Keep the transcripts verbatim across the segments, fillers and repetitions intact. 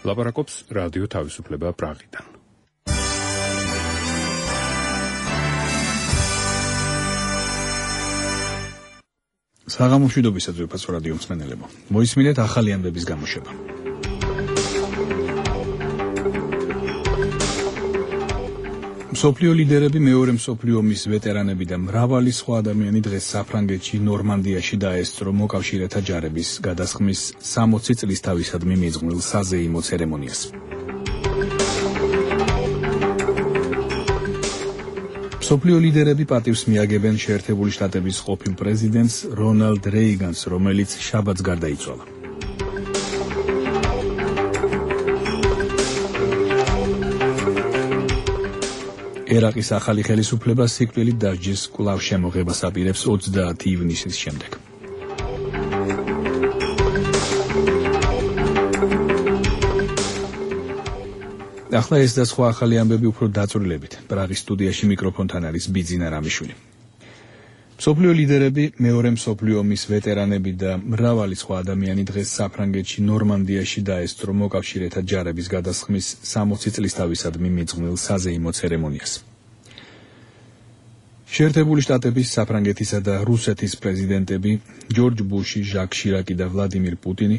ლაპარაკობს რადიო თავისუფლება პრაღიდან. საღამო მშვიდობისა ძვირფასო რადიო მსმენელებო. მოისმინეთ ახალი ამბების გამოშვება. მსოფლიო ლიდერები, მეორე მსოფლიო ომის ვეტერანები და მრავალი სხვა ადამიანი დღეს საფრანგეთში ნორმანდიაში დაესწრო მოკავშირეთა ჯარების გადასხმის სამოცი წლის თავისადმი მიძღვნილ საზეიმო ცერემონიას. მსოფლიო ლიდერები პატივს მიაგებენ შეერთებული შტატების ყოფილ პრეზიდენტს რონალდ რეიგანს, რომელიც შაბათს გარდაიცვალა. ერაყის ახალი ხელისუფლება სიკვდილით დასჯის კვლავ შემოღებას აპირებს ოცდაათი ივნისის შემდეგ. ახლა ეს და სხვა ახალი ამბები უფრო დაწვრილებით. პრაღის სტუდიაში მიკროფონთან არის ბიძინა რამიშვილი. მსოფლიო ლიდერები, მეორე მსოფლიო ომის ვეტერანები და მრავალი სხვა ადამიანი დღეს საფრანგეთში ნორმანდიაში დაესწრო მოკავშირეთა ჯარების გადასხმის სამოცი წლის თავისადმი მიძღვნილ საზეიმო ცერემონიას. შეერთებული შტატების, საფრანგეთისა და რუსეთის პრეზიდენტები ჯორჯ ბუში, ჟაკ შირაკი და ვლადიმირ პუტინი,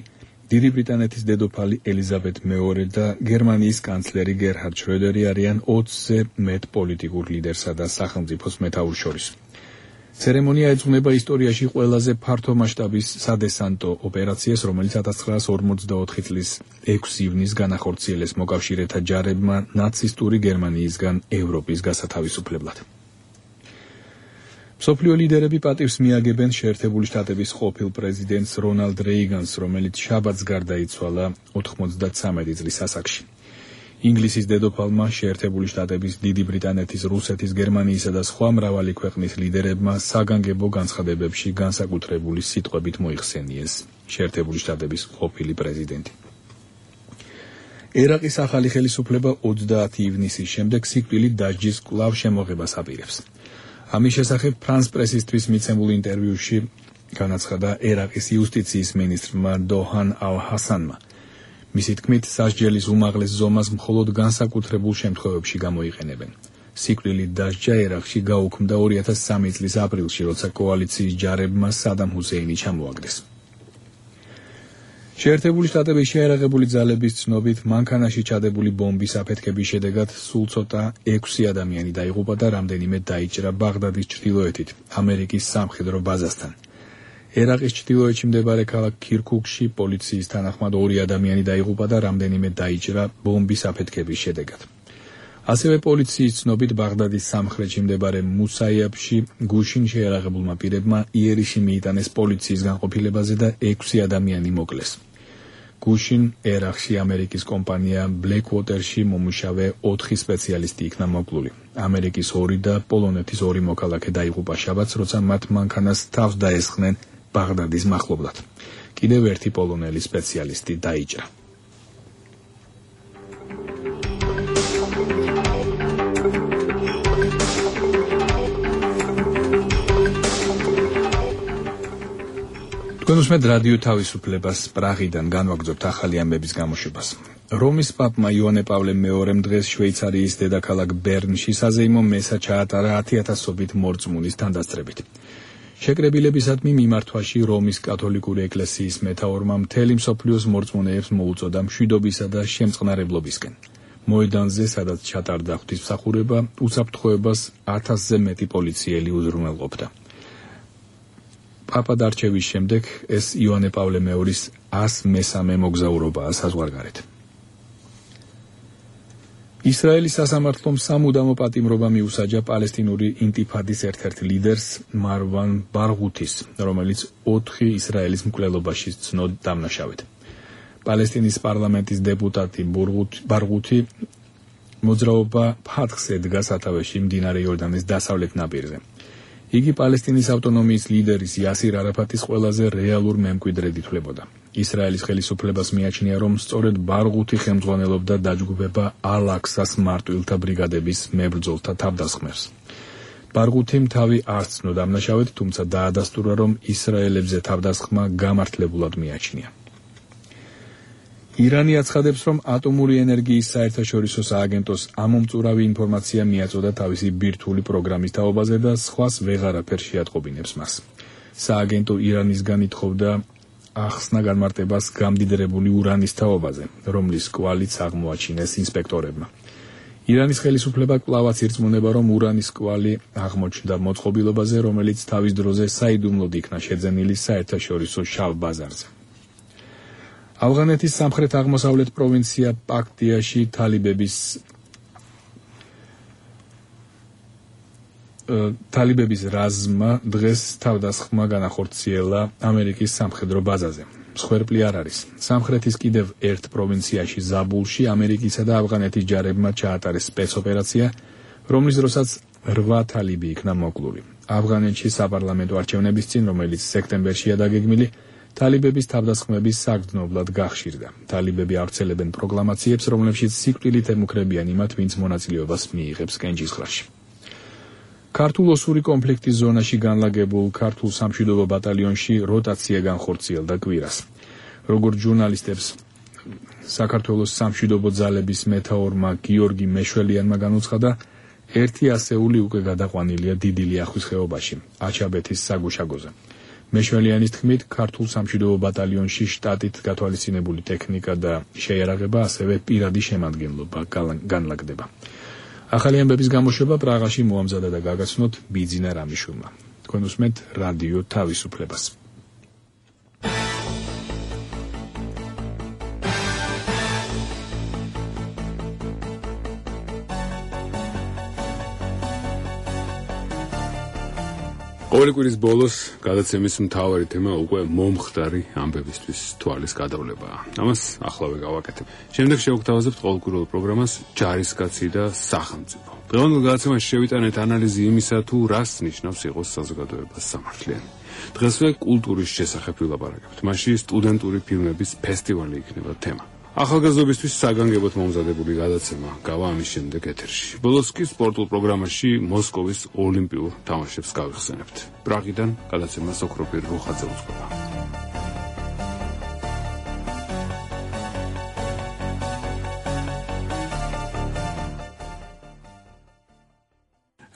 დიდი ბრიტანეთის დედოფალი ელიზაბეთ მეორე და გერმანიის კანცლერი გერჰარდ შროედერი არიან ოცზე მეტ პოლიტიკურ ლიდერსა და სახელმწიფოს მეთაურს შორის. ცერემონია ეძღვნება ისტორიაში ყველაზე ფართო მასშტაბის სადესანტო ოპერაციას, რომელიც ათას ცხრაასი ორმოცდაოთხი წლის ექვსი ივნისს განახორციელეს მოკავშირეთა ჯარებმა ნაცისტური გერმანიისგან ევროპის გასათავისუფლებლად. მსოფლიო ლიდერები პატივს მიაგებენ შეერთებული შტატების ყოფილ პრეზიდენტს რონალდ რეიგანს, რომელიც შაბათს გარდაიცვალა ოთხმოცდათსამეტი წლის ასაკში. ინგლისის დედოფალმა, შეერთებული შტატების, დიდი ბრიტანეთის, რუსეთის, გერმანიისა და სხვა მრავალი ქვეყნის ლიდერებმა საგანგებო განცხადებებში განსაკუთრებული სიტყვებით მოიხსენიეს შეერთებული შტატების ყოფილი პრეზიდენტი. ერაყის ახალი ხელისუფლება ოცდაათი ივნისის შემდეგ სიკვდილით დასჯის კვლავ შემოღებას აპირებს. ამის შესახებ ფრანს პრესისთვის მიცემულ ინტერვიუში განაცხადა ერაყის იუსტიციის მინისტრმა დოჰან ალ-ჰასანმა. მისი თქმით, სასჯელის უმაღლეს ზომას მხოლოდ განსაკუთრებულ შემთხვევებში გამოიყენებენ. სიკვდილით დასჯა ერაყში გაუქმდა ორი ათას სამი წლის აპრილში, როცა კოალიციის ჯარებმა სადამ ჰუსეინი ჩამოაგდეს. შეერთებული შტატების შეიარაღებული ძალების ცნობით, მანქანაში ჩადებული ბომბის აფეთქების შედეგად სულ ცოტა ექვსი ადამიანი დაიღუპა და რამდენიმე დაიჭრა ბაღდადის ჩრდილოეთით, ამერიკის სამხედრო ბაზასთან. ერაყის ჩრდილოეთში მდებარე ქალაქ ქირქუქში პოლიციის თანახმად ორი ადამიანი დაიღუპა და რამდენიმე დაიჭრა ბომბის აფეთქების შედეგად. ასევე პოლიციის ცნობით, ბაღდადის სამხრეთში მდებარე მუსაიაფში გუშინ შეიარაღებულმა პირებმა იერიში მიიტანეს პოლიციის განყოფილებაზე და ექვსი ადამიანი მოკლეს. გუშინ ერაყში ამერიკის კომპანია ბლეკვოტერში მომუშავე ოთხი სპეციალისტი იქნა მოკლული. ამერიკის ორი და პოლონეთის ორი მოქალაქე დაიღუპა შაბათს, როცა მათ მანქანას თავს დაესხნენ ბაღდადის მახლობლად. კიდევ ერთი პოლონელი სპეციალისტი დაიჭრა. თქვენ უსმენთ რადიო თავისუფლებას პრაღიდან განვაგრძობთ ახალი ამბების გამოშვებას. რომის პაპმა იოანე პავლე მეორემ დღეს შვეიცარიის დედაქალაქ ბერნში საზეიმო მესა ჩაატარა ათი ათასობით მორწმუნის თანდასწრებით. შეკრებილებისადმი მიმართვაში რომის კათოლიკური ეკლესიის მეთაურმა მთელი მსოფლიოს მორწმუნეებს მოუწოდა მშვიდობისა და შემწყნარებლობისკენ. მოედანზე, სადაც ჩატარდა ღვთისმსახურება, უსაფრთხოებას ათასზე მეტი პოლიციელი უზრუნველყოფდა. პაპად არჩევის შემდეგ ეს იოანე პავლე მეორის ას მესამე მოგზაურობაა საზღვარგარეთ. ისრაელის სასამართლომ სამუდამო პატიმრობა მიუსაჯა პალესტინური ინტიფადის ერთ-ერთ ლიდერს მარვან ბარღუთის, რომელიც ოთხი ისრაელის მკვლელობაში ცნოდ დამნაშავედ. პალესტინის პარლამენტის დეპუტატი ბარღუთი მოძრაობა ფათხს ედგა სათავეში მდინარე იორდანეს დასავლეთ ნაპირზე. იგი პალესტინის ავტონომიის ლიდერის იასირ არაფატის ყველაზე რეალურ მემკვიდრედ ითვლებოდა. ისრაელის ხელისუფლებას მიაჩნია, რომ სწორედ ბარღუთი ხელმძღვანელობდა დაჯგუფება ალ-აქსას მარტვილთა ბრიგადების მებრძოლთა თავდასხმებს. ბარღუთიმ თავი არ სცნო დამნაშავედ, თუმცა დაადასტურა, რომ ისრაელებზე თავდასხმა გამართლებულად მიაჩნია. ირანი აცხადებს, რომ ატომური ენერგიის საერთაშორისო სააგენტოს ამომწურავი ინფორმაცია მიაწოდა თავისი ბირთვული პროგრამის თაობაზე და სხვას ვეღარაფერ შეატყობინებს მას. სააგენტო ირანისგან ითხოვდა ახსნა განმარტებას გამდიდრებული ურანის თაობაზე, რომლის კვალიც აღმოაჩინეს ინსპექტორებმა. ირანის ხელისუფლება კვლავაც ირწმუნება, რომ ურანის კვალი აღმოჩნდა მოწყობილობაზე, რომელიც თავის დროზე საიდუმლოდ იქნა შეძენილი საერთაშორისო შავ ბაზარზე. ავღანეთის სამხრეთ-აღმოსავლეთ პროვინცია პაქტიაში თალიბების თალიბების რაზმმა დღეს თავდასხმა განახორციელა ამერიკის სამხედრო ბაზაზე. მსხვერპლი არ არის. სამხრეთის კიდევ ერთ პროვინციაში ზაბულში ამერიკისა და ავღანეთის ჯარებმა ჩაატარეს სპეცოპერაცია, რომლის დროსაც რვა თალიბი იქნა მოკლული. ავღანეთში საპარლამენტო არჩევნების წინ, რომელიც სექტემბერშია დაგეგმილი, თალიბების თავდასხმების საგრძნობლად გახშირდა. თალიბები ავრცელებენ პროკლამაციებს, რომლებშიც სიკვდილით ემუქრებიან იმათ, ვინც მონაწილეობას მიიღებს კენჭისყრაში. ქართულ ოსური კონფლიქტის ზონაში განლაგებულ ქართულ სამშვიდობო ბატალიონში როტაცია განხორციელდა კვირას. როგორც ჟურნალისტებს საქართველოს სამშვიდობო ძალების მეთაურმა გიორგი მეშველიანმა განუცხადა, ერთი ასეული უკვე გადაყვანილია დიდი ლიახვის ხეობაში, აჩაბეთის საგუშაგოზე. მეშველიანის თქმით, ქართულ სამშვიდობო ბატალიონში შტატით გათვალისწინებული ტექნიკა და შეიარაღება, ასევე პირადი შემადგენლობა განლაგდება. ახალი ამბების გამოშვება პრაღაში მოამზადა და გაგაცნოთ ბიძინა რამიშვილმა. თქვენ უსმენთ რადიო თავისუფლებას. ყოველი კვირის ბოლოს გადაცემის მთავარი თემა უკვე მომხდარი ამბებისთვის თვალის გადავლებაა. ამას ახლავე გავაკეთებ. შემდეგ შევგვთავაზებთ ყოველკვირეულ პროგრამას ჯარისკაცი და სახელმწიფო. დღევანდელ გადაცემაში შევიტანეთ ანალიზი იმისა, თუ რას ნიშნავს იყოს საზოგადოებას სამართლიანი. დღესვე კულტურის შესახებ ვილაპარაკებთ. მასში სტუდენტური ფილმების ფესტივალი იქნება თემა. ახალგაზრდობისთვის საგანგებოდ მომზადებული გადაცემა გავა ამის შემდეგ ეთერში. ბოლოს კი სპორტულ პროგრამაში მოსკოვის ოლიმპიურ თამაშებს გავიხსენებთ. პრაღიდან გადაცემას ოქროპირ რუხაძე უძღვება.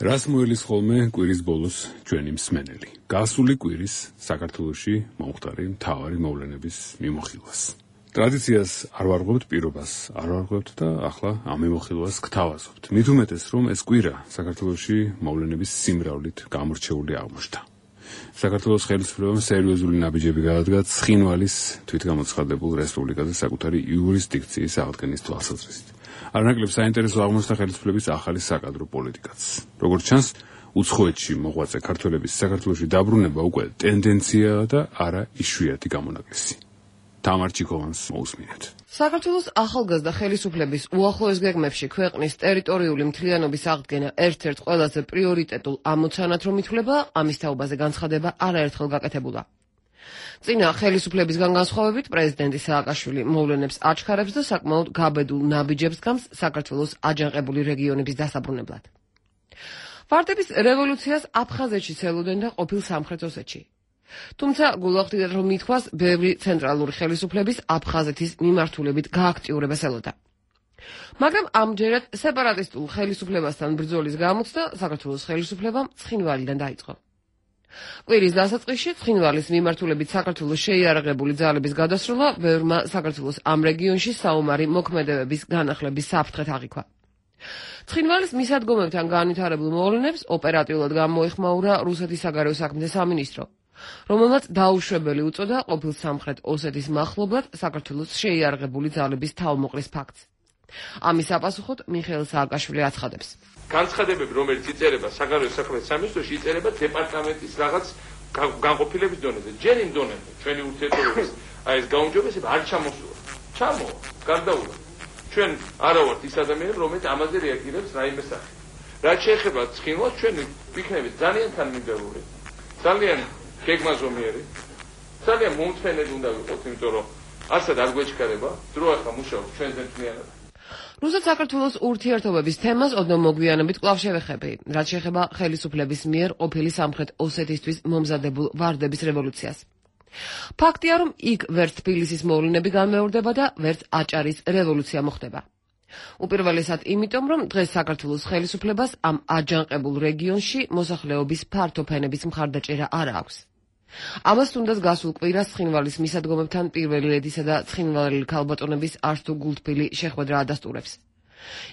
რას მოელის ხოლმე კვირის ბოლოს ჩვენი მსმენელი? გასული კვირის საქართველოში მომხდარი მთავარი მოვლენების მიმოხილვას. ტრადიციას არ ვარღვევთ, პირობას არ ვარღვევთ და ახლა ამ მიმოხილვას გთავაზობთ. მით უმეტეს, რომ ეს კვირა საქართველოში მოვლენების სიმრავლით გამორჩეული აღმოჩნდა. საქართველოს ხელისუფლებამ სერიოზული ნაბიჯები გადადგა ცხინვალის თვითგამოცხადებულ რესპუბლიკაზე საკუთარი იურისდიქციის აღდგენის თვალსაზრისით. არანაკლებ საინტერესო აღმოჩნდა ხელისუფლების ახალი საკადრო პოლიტიკაც. როგორც ჩანს, უცხოეთში მოღვაწე ქართველების საქართველოში დაბრუნება უკვე ტენდენციაა და არა იშვიათი გამონაკლისი. თამარ ჩიქოვანს მოусმინეთ. საქართველოს ახალგაზრდა ხელისუფლების უახლოეს გეგმებში ქვეყნის ტერიტორიული მთლიანობის აღდგენა ერთ-ერთ ყველაზე პრიორიტეტულ ამოცანად რომ ითვლება, ამის თაობაზე განცხადება არაერთხელ გაკეთებულა. წინა ხელისუფლებისგან განსხვავებით, პრეზიდენტი სააკაშვილი მოვლენებს აჩქარებს და საკმაოდ გაბედულ ნაბიჯებს გამს საქართველოს აჯანყებული რეგიონების დასაბრუნებლად. ვარდების რევოლუციას აფხაზეთში ცელოდნენ და ყოფილ სამხრეთ ოსეთში. თუმცა გულახდიდათ რომ მithვას ბევრი ცენტრალური ხელისუფლების აფხაზეთის მიმართულებით გააქტიურებას ელოდა. მაგრამ ამჯერად სეპარატისტულ ხელისუფლებასთან ბრძოლის გამოცდა საქართველოს ხელისუფლებამ ცხინვალიდან დაიწყო. კვირის დასაწყისში ცხინვალის მიმართულებით საქართველოს შეიარაღებული ძალების გადასროლა ბევრმა საქართველოს ამ რეგიონში საომარი მოქმედებების განახლების საფრთხეთ აღიქვა. ცხინვალის მისადგომებთან განვითარებულ მოვლენებს ოპერატიულად გამოეხმაურა რუსეთის საგარეო საქმეთა სამინისტრო, რომელმაც დაუშვებელი უწოდა ყოფილ სამხრეთ ოსეთის მახლობლად საქართველოს შეიარაღებული ძალების თავმოყრის ფაქტს. ამის საპასუხოდ მიხეილ სააკაშვილი აცხადებს. განცხადებები, რომელიც იწერება საგარეო საქმეთა სამინისტროში, იწერება დეპარტამენტის რაღაც განყოფილების დონეზე. ჯერ იმ დონეზე ჩვენი ურთიერთობების აი ეს გაუმჯობესება არ ჩამოსულა. ჩამოვა, გარდაულა. ჩვენ არა ვართ ის ადამიანები, რომელიც ამაზე რეაგირებს რაიმე სახით. რაც შეეხება ცხინვალს, ჩვენ ვიქნებით ძალიან თანმიმდევრული. ძალიან გეგმაზომიერი. ძალიან მომწვენელი უნდა ვიყოთ, იმიტომ რომ ასად არ გვეჩქარება, დრო ახლა მუშაობს ჩვენზე მთლიანად. რუსეთ-საქართველოს ურთიერთობების თემას ოდნავ მოგვიანებით კვლავ შევეხები, რაც შეეხება ხელისუფლების მიერ ყოფილი სამხრეთ ოსეთისთვის მომზადებულ ვარდების რევოლუციას. ფაქტია, რომ იქ ვერც თბილისის მოვლენები განმეორდება და ვერც აჭარის რევოლუცია მოხდება. უპირველესად იმიტომ, რომ დღეს საქართველოს ხელისუფლებას ამ აჯანყებულ რეგიონში მოსახლეობის ფართო ფენების მხარდაჭერა არ აქვს. ამას თუნდაც გასულ კვირას ცხინვალის მისადგომებთან პირველი ლედისა და ცხინვალელი ქალბატონების არც თუ გულთბილი შეხვედრა ადასტურებს.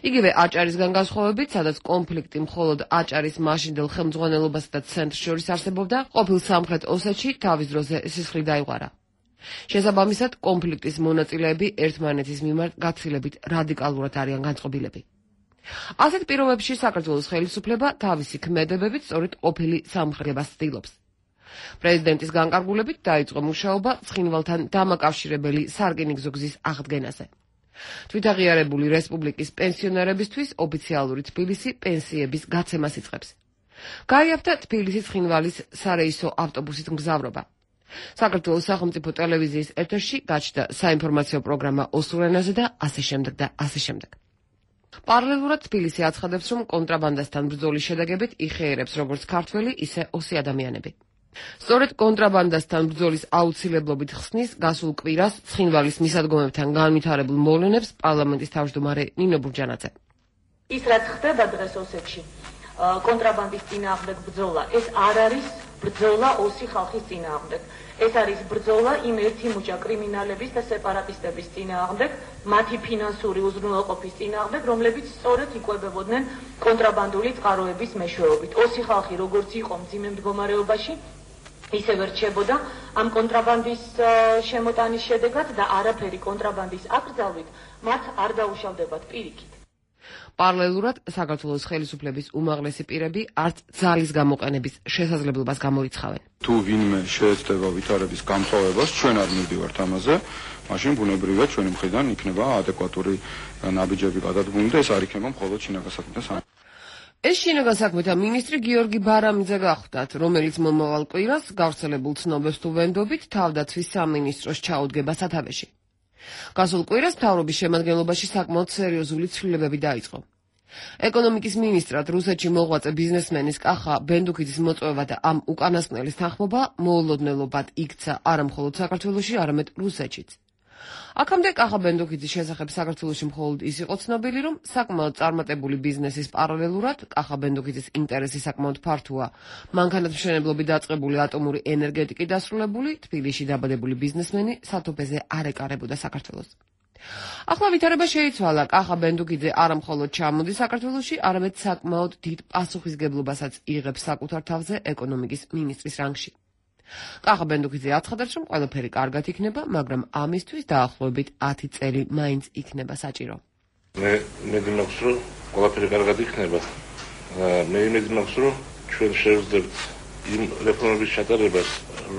იგივე აჭარისგან განსხვავებით, სადაც კონფლიქტი მხოლოდ აჭარის მაშინდელ ხელმძღვანელობასა და ცენტრს შორის არსებობდა, ყოფილ სამხრეთ ოსეთში თავის დროზე სისხლი დაიღვარა. შესაბამისად, კონფლიქტის მონაწილეები ერთმანეთის მიმართ გაცილებით რადიკალურად არიან განწყობილები. ასეთ პირობებში საქართველოს ხელისუფლება თავისი ქმედებებით სწორედ ყოფილი სამხრეთებას ცდილობს. პრეზიდენტის განკარგულებით დაიწყო მუშაობა ცხინვალთან დამაკავშირებელი სარკინიგზო გზის აღდგენაზე. თვითაღიარებული რესპუბლიკის პენსიონერებისთვის ოფიციალური თბილისი პენსიების გაცემას იწყებს. გაიაფთა თბილისის ცხინვალის სარეისო ავტობუსით მგზავრობა. საქართველოს სახელმწიფო ტელევიზიის ეთერში გაჩნდა საინფორმაციო პროგრამა ოსურ ენაზე და ასე შემდეგ და ასე შემდეგ. პარალელურად თბილისი აცხადებს, რომ კონტრაბანდასთან ბრძოლის შედეგებით იხეერებს როგორც ქართველი, ისე ოსი ადამიანები. სწორედ კონტრაბანდასთან ბრძოლის აუცილებლობით ხსნის გასულ კვირას ცხინვალის მისადგომებთან განვითარებულ მოვლენებს პარლამენტის თავმჯდომარე ნინო ბურჯანაძე. ის რაც ხდება დღეს ოსეთში, კონტრაბანდის წინააღმდეგ ბრძოლა, ეს არ არის ბრძოლა ოსი ხალხის წინააღმდეგ. ეს არის ბრძოლა იმ ერთი მუჭა კრიმინალების და სეპარატისტების წინააღმდეგ, მათი ფინანსური უზრუნველყოფის წინააღმდეგ, რომლებიც სწორედ იკვებებოდნენ კონტრაბანდული წყაროების მეშვეობით. ოსი ხალხი როგორც იყო მძიმე მდგომარეობაში, ისევე რჩებოდა ამ კონტრაბანდის შემოტანის შედეგად და არაფერი კონტრაბანდის აკრძალვით მათ არ დაუშავდებათ პირიქით. პარალელურად საქართველოს ხელისუფლების უმაღლესი პირები არც ძალის გამოყენების შესაძლებლობას გამორიცხავენ. თუ ვინმე შეეცდება ვითარების გამწვავებას, ჩვენ არ მივდივართ ამაზე, მაშინ ბუნებრივია ჩვენი მხრიდან იქნება ადეკვატური ნაბიჯები გადადგმული და ეს არ იქნება მხოლოდ შინაგან საქმეთა სამინისტრო. ეს შინაგან საქმეთა მინისტრი გიორგი ბარამიძე გახდათ, რომელიც მომავალ კვირას გავრცელებულ ცნობებს თუ ვენდობით თავდაცვის სამინისტროს ჩაუდგება სათავეში. გასულ კვირას მთავრობის შემადგენლობაში საკმაოდ სერიოზული ცვლილებები დაიწყო. ეკონომიკის მინისტრად რუსეთში მოღვაწე ბიზნესმენის კახა ბენდუქიძის მოწვევა და ამ უკანასკნელის თანხმობა მოულოდნელობად იქცა არა მხოლოდ საქართველოში, არამედ რუსეთშიც. აქამდე კახა ბენდუქიძის შესახებ საქართველოში მხოლოდ ის იყო ცნობილი, რომ საკმაოდ წარმატებული ბიზნესის პარალელურად კახა ბენდუქიძის ინტერესი საკმაოდ ფართოა. მანქანათმშენებლობით დაწყებული ატომური ენერგეტიკით დასრულებული თბილისში დაბადებული ბიზნესმენი სათოფეზე არ ეკარებოდა საქართველოს. ახლა ვითარება შეიცვალა, კახა ბენდუქიძე არა მხოლოდ ჩამოდის საქართველოში, არამედ საკმაოდ დიდ პასუხისგებლობასაც იღებს საკუთარ თავზე ეკონომიკის მინისტრის რანგში. კახა ბენდუქიძე აცხადებს, რომ ყველაფერი კარგად იქნება, მაგრამ ამისთვის დაახლოებით ათი წელი მაინც იქნება საჭირო. მე იმედი მაქვს, რომ ყველაფერი კარგად იქნება. მე იმედი მაქვს, რომ ჩვენ შევძლებთ იმ რეფორმების ჩატარებას,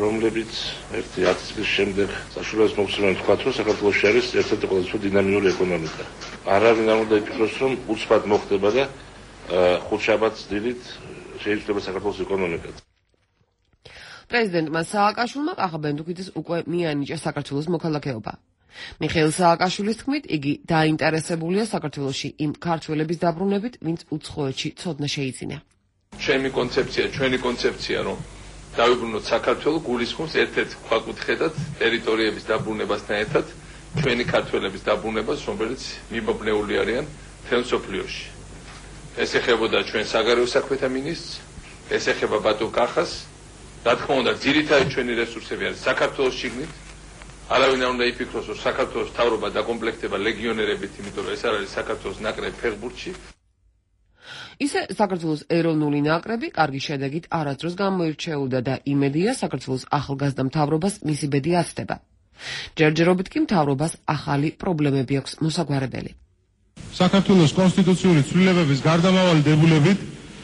რომლებიც ერთი ათი წლის შემდეგ საშუალებას მოგცემენ თქვათ, რომ საქართველოში არის ერთ-ერთი ყველაზე დინამიური ეკონომიკა. არავინ არ უნდა იფიქროს, რომ უცბად მოხდება და ხუთშაბათს დილით შეიძლება საქართველოს ეკონომიკა. პრეზიდენტმა სააკაშვილმა კახა ბენდუქიძეს უკვე მიანიჭა საქართველოს მოქალაქეობა. მიხეილ სააკაშვილის თქმით, იგი დაინტერესებულია საქართველოში იმ ქართველების დაბრუნებით, ვინც უცხოეთში ცოდნა შეიძინა. ჩემი კონცეფცია, ჩვენი კონცეფცია, რომ დავიბრუნოთ საქართველო გულისხმობს ერთ-ერთ ქვაკუთხედად ტერიტორიების დაბრუნებასთან ერთად ჩვენი ქართველების დაბრუნებას, რომელიც მიმობნეული არიან მთელ მსოფლიოში. ეს ეხებოდა ჩვენ საგარეო საქმეთა მინისტრს, ეს ეხება ბატონ კახას. რა თქმა უნდა, ძირითადი ჩვენი რესურსები არის საქართველოს შიგნით. არავინ არ უნდა იფიქროს, რომ საქართველოს მთავრობა დაკომპლექტება ლეგიონერებით, იმიტომ რომ ეს არ არის საქართველოს ნაკრები ფეხბურთში. ისე საქართველოს ეროვნული ნაკრები კარგი შედეგით არასდროს გამოირჩეოდა და იმედია საქართველოს ახალგაზრდა მთავრობას მისი ბედი აცდება. ჯერჯერობით კი მთავრობას ახალი პრობლემები აქვს მოსაგვარებელი. საქართველოს კონსტიტუციური ცვლილებების გარდამავალი დებულებით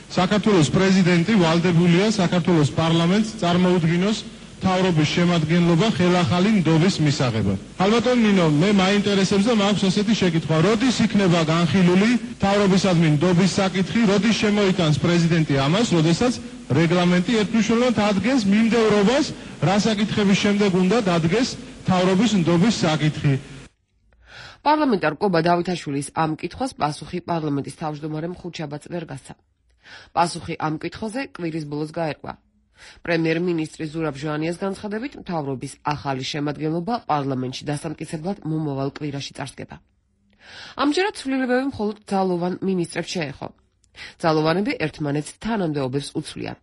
საქართველოს პრეზიდენტი ვალდებულია საქართველოს პარლამენტს წარმოუდგინოს მთავრობის შემადგენლობა ხელახალი ნდობის მისაღებად. ალბათ ნინო, მე მაინტერესებს და მაქვს ესეთი შეკითხვა, როდის იქნება განხილული მთავრობისადმი ნდობის საკითხი, როდის შემოიტანს პრეზიდენტი ამას, როდესაც რეგლამენტი ერთმნიშვნელოვნად ადგენს მიმდევრობას, რა საკითხების შემდეგ უნდა დადგეს მთავრობის ნდობის საკითხი. პარლამენტარ კობა დავითაშვილის ამ კითხვას პასუხი პარლამენტის თავმჯდომარემ ხუთშაბათს ვერ გასცა. პასუხი ამ კითხვაზე კვირის ბოლოს გაერკვა. პრემიერ-მინისტრი ზურაბ ჟვანიას განცხადებით, მთავრობის ახალი შემადგენლობა პარლამენტში დასამტკიცებლად მომავალ კვირაში წარსდგება. ამჯერად ცვლილებები მხოლოდ ძალოვან მინისტრებს შეეხო. ძალოვანები ერთმანეთს თანამდებობებს უცვლიან.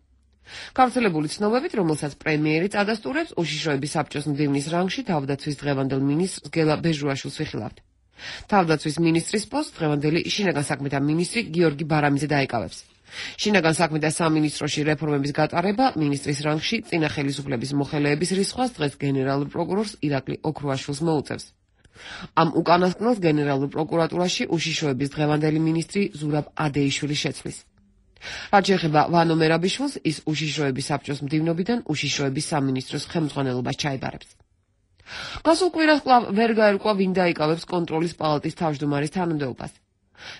გავრცელებული ცნობებით, რომელსაც პრემიერი წადასტურებს, უშიშროების საბჭოს მდივნის რანგში თავდაცვის დღევანდელ მინისტრს გელა ბეჟურაშვილს ვიხილავთ. თავდაცვის მინისტრის პოსტს დღევანდელი შინაგან საქმეთა მინისტრი გიორგი ბარამიძე დაიკავებს. შინაგან საქმეთა სამინისტროში რეფორმების გატარება მინისტრის რანგში წინა ხელისუფლების მოხელეების რისხვას დღეს გენერალურ პროკურორს ირაკლი ოქრუაშვილს მოუწევს. ამ უკანასკნელს გენერალურ პროკურატურაში უშიშროების დღევანდელი მინისტრი ზურაბ ადეიშვილი შეცვლის. რაც შეეხება ვანო მერაბიშვილს, ის უშიშროების საბჭოს მდივნობიდან უშიშროების სამინისტროს ხელმძღვანელობას ჩაიბარებს. გასულ კვირას კვლავ ვერ გაერკვა, ვინ დაიკავებს კონტროლის პალატის თავმჯდომარის თანამდებობას.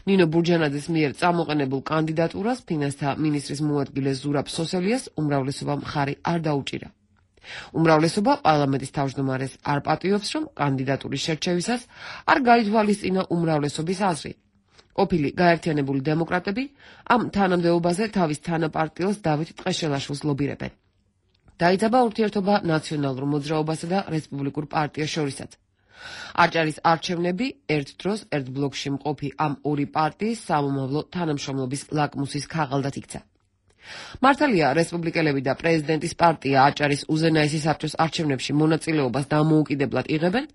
ნინო ბურჯანაძის მიერ წამოყენებულ კანდიდატურას ფინანსთა მინისტრის მოადგილე ზურაბ სოსელიას უმრავლესობა მხარი არ დაუჭირა. უმრავლესობა პარლამენტის თავმჯდომარეს არ პატიობს, რომ კანდიდატურის შერჩევისას არ გაითვალისწინა უმრავლესობის აზრი. ყოფილი გაერთიანებული დემოკრატები ამ თანამდებობაზე თავის თანაპარტიელს დავით ტყეშელაშვილს ლობირებენ. დაიძაბა ურთიერთობა ნაციონალურ მოძრაობასა და რესპუბლიკურ პარტიას შორისაც. არჭარის არჩევნები ერთ დროს ერთ ბლოკში მყოფი ამ ორი პარტიის სამომავლო თანამშრომლობის ლაკმუსის ქაღალდად იქცა. მართალია, რესპუბლიკელები და პრეზიდენტის პარტია აჭარის უზენაესი საბჭოს არჩევნებში მონაწილეობას დამოუკიდებლად იღებენ,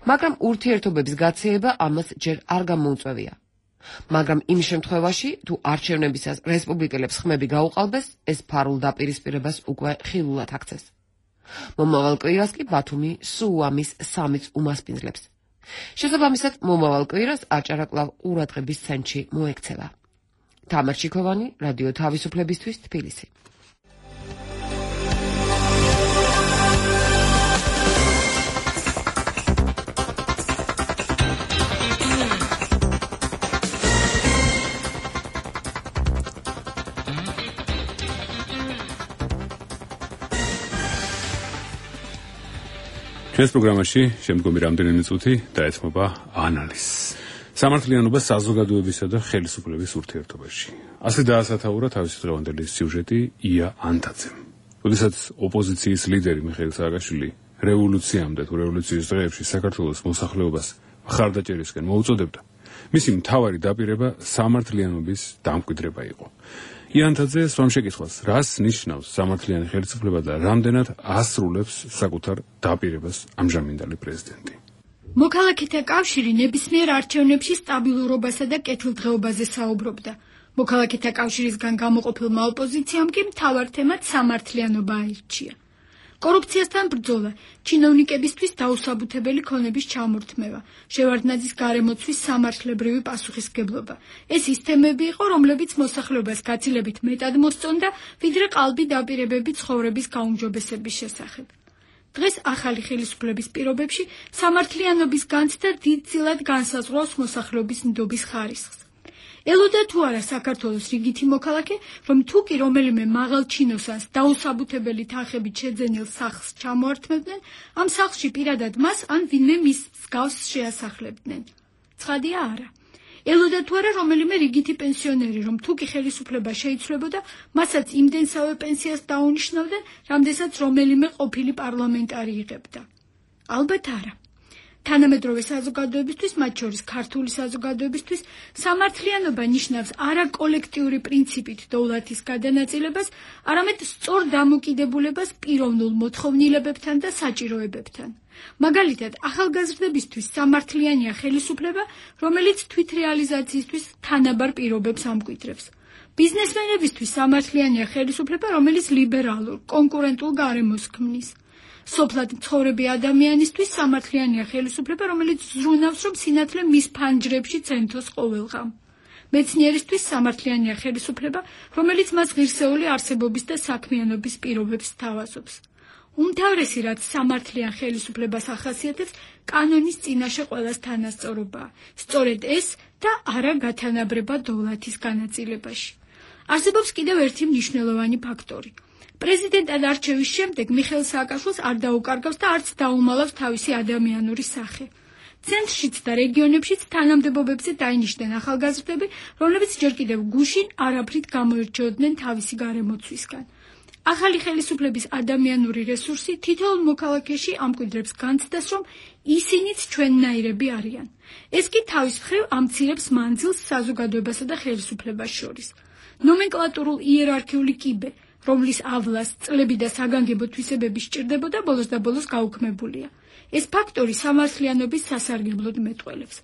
მაგრამ ურთიერთობების გაცეება ამას ჯერ არ გამოუწვევია. მაგრამ იმ შემთხვევაში, თუ არჩევნებისას რესპუბლიკელებს ხმები გაუყალბეს, ეს ფარულ დაპირისპირებას უკვე ხილულად აქცევს. მომავალ კვირას კი ბათუმი სუამის სამიც უმასპინძლებს. შესაბამისად, მომავალ კვირას აჭარა კვლავ ყურადღების ცენტრში მოექცევა. თამარ ჩიქოვანი, რადიო თავისუფლებისთვის, თბილისი. ჩვენს პროგრამაში შემდგომი რამდენიმე წუთი დაეთმობა ანალიზს. სამართლიანობა საზოგადოებისა და ხელისუფლების ურთიერთობაში. ასე დაასათაურა თავისი დღევანდელი სიუჟეტი ია ანთაძემ. როდესაც ოპოზიციის ლიდერი მიხეილ სააკაშვილი რევოლუციამდე თუ რევოლუციის დღეებში საქართველოს მოსახლეობას მხარდაჭერისკენ მოუწოდებდა, მისი მთავარი დაპირება სამართლიანობის დამკვიდრება იყო. იანთაძე სვამ შეკითხვას, რას ნიშნავს სამართლიანი ხელისუფლება და რამდენად ასრულებს საკუთარ დაპირებას ამჟამინდელი პრეზიდენტი. მოქალაქეთა კავშირი ნებისმიერ არჩევნებში სტაბილურობასა და კეთილდღეობაზე საუბრობდა. მოქალაქეთა კავშირისგან გამოყოფილმა ოპოზიციამ კი მთავარ თემად სამართლიანობა აირჩია. კორუფციასთან ბრძოლა, ჩინოვნიკებისთვის დაუსაბუთებელი ქონების ჩამორთმევა, შევარდნაძის გარემოცვის სამართლებრივი პასუხისმგებლობა. ეს ის თემები იყო, რომლებიც მოსახლეობას გაცილებით მეტად მოსწონდა, ვიდრე ყალბი დაპირებები ცხოვრების გაუმჯობესების შესახებ. დღეს ახალი ხელისუფლების პირობებში სამართლიანობის განცდა დიდწილად განსაზღვრავს მოსახლეობის ნდობის ხარისხს. ელოდა თუ არა საქართველოს რიგითი მოქალაქე, რომ თუ კი რომელიმე მაღალ ჩინოსანს დაუსაბუთებელი თანხებით შეძენილ სახლს ჩამოართმევდნენ, ამ სახლში პირადად მას ან ვინმე მის მსგავს შეასახლებდნენ. ცხადია არა. ელოდა თუ არა რომელიმე რიგითი პენსიონერი, რომ თუ კი ხელისუფლება შეიცვლებოდა, მასაც იმდენსავე პენსიას დაუნიშნავდნენ, რამდენსაც რომელიმე ყოფილი პარლამენტარი იღებდა. ალბათ არა. თანამედროვე საზოგადოებისთვის, მათ შორის ქართული საზოგადოებისთვის, სამართლიანობა ნიშნავს არა კოლექტიური პრინციპით დოვლათის გადანაწილებას, არამედ სწორ დამოკიდებულებას პიროვნულ მოთხოვნილებებთან და საჭიროებებთან. მაგალითად, ახალგაზრდებისთვის სამართლიანია ხელისუფლება, რომელიც თვითრეალიზაციისთვის თანაბარ პირობებს ამკვიდრებს. ბიზნესმენებისთვის სამართლიანია ხელისუფლება, რომელიც ლიბერალურ, კონკურენტულ გარემოს ქმნის. სოფლად მცხოვრები ადამიანისთვის სამართლიანია ხელისუფლება, რომელიც ზრუნავს, რომ სინათლე მის ფანჯრებში ცენტოს ყოველღამ. მეცნიერისთვის სამართლიანია ხელისუფლება, რომელიც მას ღირსეული არსებობის და საქმიანობის პირობებს სთავაზობს. უმთავრესი, რაც სამართლიან ხელისუფლებას ახასიათებს, კანონის წინაშე ყველას თანასწორობაა. სწორედ ეს და არა გათანაბრება დოვლათის განაწილებაში. არსებობს კიდევ ერთი მნიშვნელოვანი ფაქტორი. პრეზიდენტად არჩევის შემდეგ მიხეილ სააკაშვილს არ დაუკარგავს და არც დაუმალავს თავისი ადამიანური სახე. ცენტრშიც და რეგიონებშიც თანამდებობებზე დაინიშნენ ახალგაზრდები, რომლებიც ჯერ კიდევ გუშინ არაფრით გამოირჩეოდნენ თავისი გარემოცვისგან. ახალი ხელისუფლების ადამიანური რესურსი თითოეულ მოქალაქეში ამკვიდრებს განცდას, რომ ისინიც ჩვენნაირები არიან. ეს კი თავის მხრივ ამცირებს მანძილს საზოგადოებასა და ხელისუფლებას შორის. ნომენკლატურულ იერარქიული კიბე, რომლის ავლას წლები და საგანგებო თვისებები სჭირდებოდა, ბოლოს და ბოლოს გაუქმებულია. ეს ფაქტორი სამართლიანობის სასარგებლოდ მეტყველებს.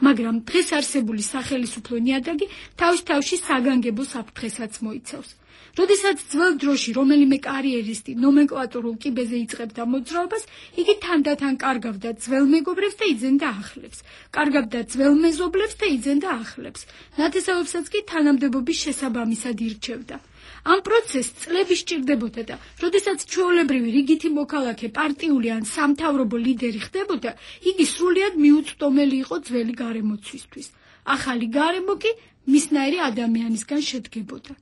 მაგრამ დღეს არსებული სახელისუფლო ნიადაგი თავის თავში საგანგებო საფრთხესაც მოიცავს. როდესაც ძველ დროში რომელიმე კარიერისტი ნომენკლატურულ კიბეზე იწყებდა მოძრაობას, იგი თანდათან კარგავდა ძველ მეგობრებს და იძენდა ახლებს, კარგავდა ძველ მეზობლებს და იძენდა ახლებს, ნათესავებსაც კი თანამდებობის შესაბამისად ირჩევდა. ამ პროცესს წლები სჭირდებოდა და როდესაც ჩვეულებრივი რიგითი მოქალაქე პარტიული ან სამთავრობო ლიდერი ხდებოდა, იგი სრულიად მიუწვდომელი იყო ძველი გარემოცვისთვის. ახალი გარემო კი მისნაირი ადამიანისგან შედგებოდა.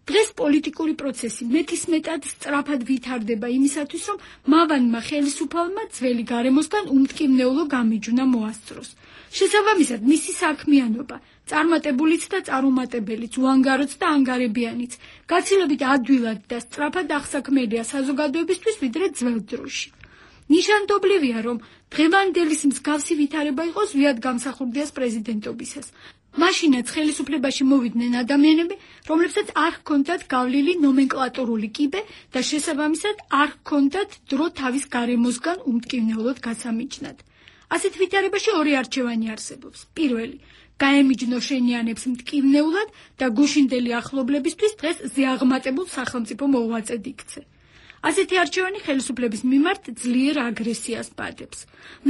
დღეს პოლიტიკური პროცესი მეტისმეტად სწრაფად ვითარდება იმისათვის, რომ მავანმა ხელისუფალმა ძველი გარემოსგან უმტკივნეულო გამიჯვნა მოასწროს. შესაბამისად, მისი საქმიანობა, წარმატებულიც და წარუმატებელიც, უანგაროც და ანგარებიანიც, გაცილებით ადვილად და სწრაფად აღსაქმელია საზოგადოებისთვის, ვიდრე ძველ დროში. ნიშანდობლივია, რომ დღევანდელის მსგავსი ვითარება იყო ზვიად გამსახურდიას პრეზიდენტობისას. მაშინაც ხელისუფლებაში მოვიდნენ ადამიანები, რომლებსაც არ ჰქონდათ გავლილი ნომენკლატურული კიბე და შესაბამისად არ ჰქონდათ დრო თავის გარემოსგან უმტკივნეულოდ გასამიჯნად. ასეთ ვითარებაში ორი არჩევანი არსებობს. პირველი, გაემიჯნო შენიანებს მტკივნეულად და გუშინდელი ახლობლებისთვის დღეს ზეაღმატებულ სახელმწიფო მოუვაწედ იქცე. ასეთი არჩევანი ხელისუფლების მიმართ ძლიერ აგრესიას პადებს.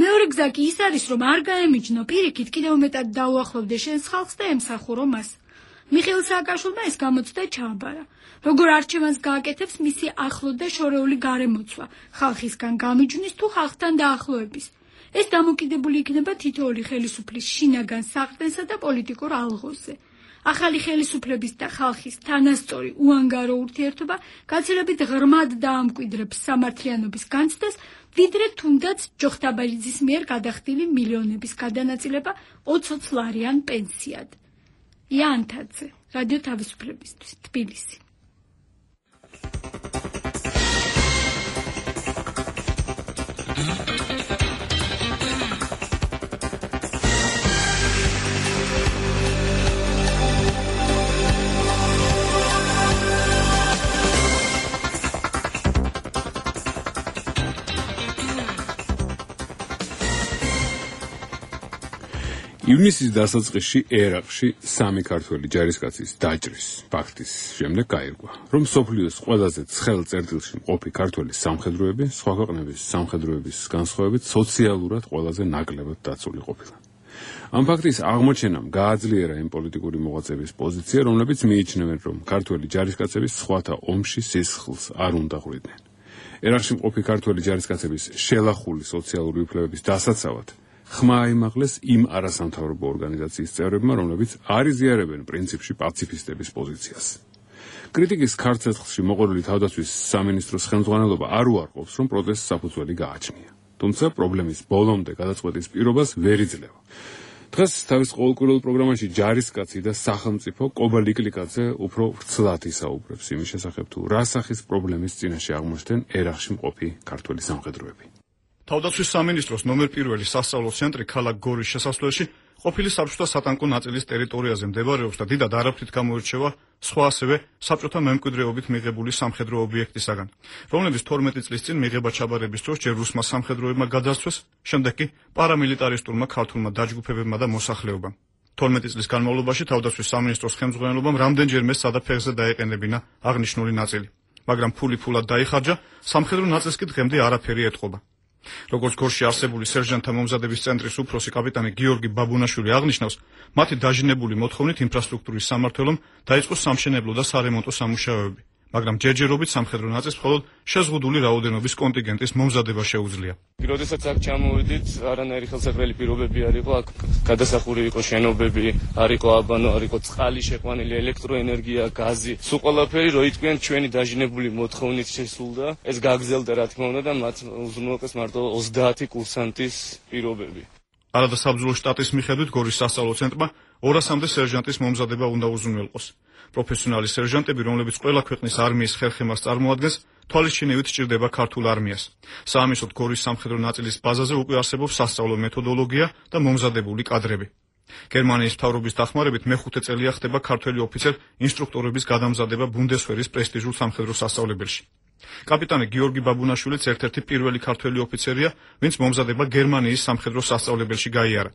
მეორე გზა კი ის არის, რომ არ გაემიჯნო პირიქით, კიდევ მეტად დაუახლოვდე შენს ხალხს და ემსახურო მას. მიხეილ სააკაშვილმა ეს გამოცდა ჩააბარა. როგორ არჩევანს გააკეთებს მისი ახლო და შორეული გარემოცვა, ხალხისგან გამიჯვნის თუ ხალხთან დაახლოების. ეს დამოკიდებული იქნება თითოეული ხელისუფლის შინაგან საყრდენსა და პოლიტიკურ ალღოზე. ახალი ხელისუფლების და ხალხის თანასწორი უანგარო ურთიერთობა გაცილებით ღრმად დაამკვიდრებს სამართლიანობის განცდას, ვიდრე თუნდაც ჯოხტაბალიძის მიერ გადახდილი მილიონების გადანაწილება ოცოცლარიან პენსიად. იანთაძე, რადიო თავისუფლებისთვის, თბილისი. ივნისის დასაწყისში ერაყში სამი ქართველი ჯარისკაცის დაჭრის ფაქტის შემდეგ გაირკვა, რომ მსოფლიოს ყველაზე ცხელ წერტილში მყოფი ქართველი სამხედროები სხვა ქვეყნების სამხედროების განსხვავებით სოციალურად ყველაზე ნაკლებად დაცული ყოფილა. ამ ფაქტის აღმოჩენამ გააძლიერა იმ პოლიტიკური მოღვაწეების პოზიცია, რომლებიც მიიჩნევენ, რომ ქართველი ჯარისკაცები სხვათა ომში სისხლს არ უნდა ღვლიდნენ. ერაყში მყოფი ქართველი ჯარისკაცების შელახული სოციალური უფლებების დასაცავად ხმა აიმაღლეს იმ არასამთავრობო ორგანიზაციის წევრებმა, რომლებიც არ იზიარებენ პრინციპში პაციფისტების პოზიციას. კრიტიკის ქარცეცხლში მოყოლილი თავდაცვის სამინისტროს ხელმძღვანელობა არ უარყოფს, რომ პროტესტს საფუძველი გააჩნია. თუმცა პრობლემის ბოლომდე გადაწყვეტის პირობას ვერ იძლევა. დღეს თავის ყოველკვირეულ პროგრამაში ჯარისკაცი და სახელმწიფო კობა ლიკლიკაძე უფრო ვრცლად ისაუბრებს იმის შესახებ, თუ რა სახის პრობლემის წინაშე აღმოჩნდნენ ერაყში მყოფი ქართველი სამხედროები. თავდაცვის სამინისტროს ნომერ პირველი სასწავლო ცენტრი ქალაქ გორის შესასვლელში ყოფილი საბჭოთა სატანკო ნაწილის ტერიტორიაზე მდებარეობს და დიდად არაფრით გამოირჩევა სხვა ასევე საბჭოთა მემკვიდრეობით მიღებული სამხედრო ობიექტისაგან, რომლებიც თორმეტი წლის წინ მიღება ჩაბარების დროს ჯერ რუსმა სამხედროებმა გადასცეს, შემდეგ კი პარამილიტარისტულმა ქართულმა დაჯგუფებებმა და მოსახლეობამ. თორმეტი წლის განმავლობაში თავდაცვის სამინისტროს ხელმძღვანელობამ რამდენჯერმე სადაფეხზე დაეყენებინა აღნიშნული ნაწილი, მაგრამ ფული ფულად დაიხარჯა, სამხედრო ნაწილს კი დღემდე არაფერი ეტყობა. როგორც გორში არსებული სერჟანტთა მომზადების ცენტრის უფროსი კაპიტანი გიორგი ბაბუნაშვილი აღნიშნავს, მათი დაჟინებული მოთხოვნით ინფრასტრუქტურის სამმართველომ დაიწყო სამშენებლო და სარემონტო სამუშაოები, მაგრამ ჯერჯერობით სამხედრო ნაწილს მხოლოდ შეზღუდული რაოდენობის კონტინგენტის მომზადება შეუძლია. როდესაც აქ ჩამოვიდით, არანაირი ხელსაყრელი პირობები არ იყო, აქ გადასახური იყო შენობები, არ იყო აბანო, არ იყო წყალი შეყვანილი, ელექტროენერგია, გაზი. სულ ყველაფერი რო იტყვიან ჩვენი დაჟინებული მოთხოვნით შესულდა, ეს გაგზელდა რა თქმა უნდა და მათ უზრუნველყეს მარტო ოცდაათი კურსანტის პირობები. არადა საბრძოლო შტატის მიხედვით გორის სასწავლო ცენტრმა ორასამდე სერჟანტის მომზადება უნდა უზრუნველყოს. პროფესიონალი სერჟანტები, რომლებიც ყველა ქვეყნის არმიის ხერხემას წარმოადგენს, თვალისჩინებით სჭირდება ქართულ არმიას. საამისოდ გორის სამხედრო ნაწილის ბაზაზე უკვე არსებობს სასწავლო მეთოდოლოგია და მომზადებული კადრები. გერმანიის მთავრობის დახმარებით მეხუთე წელია ხდება ქართველი ოფიცერ ინსტრუქტორების გადამზადება ბუნდესვერის პრესტიჟულ სამხედრო სასწავლებელში. კაპიტანი გიორგი ბაბუნაშვილიც ერთ-ერთი პირველი ქართველი ოფიცერია, ვინც მომზადება გერმანიის სამხედრო სასწავლებელში გაიარა.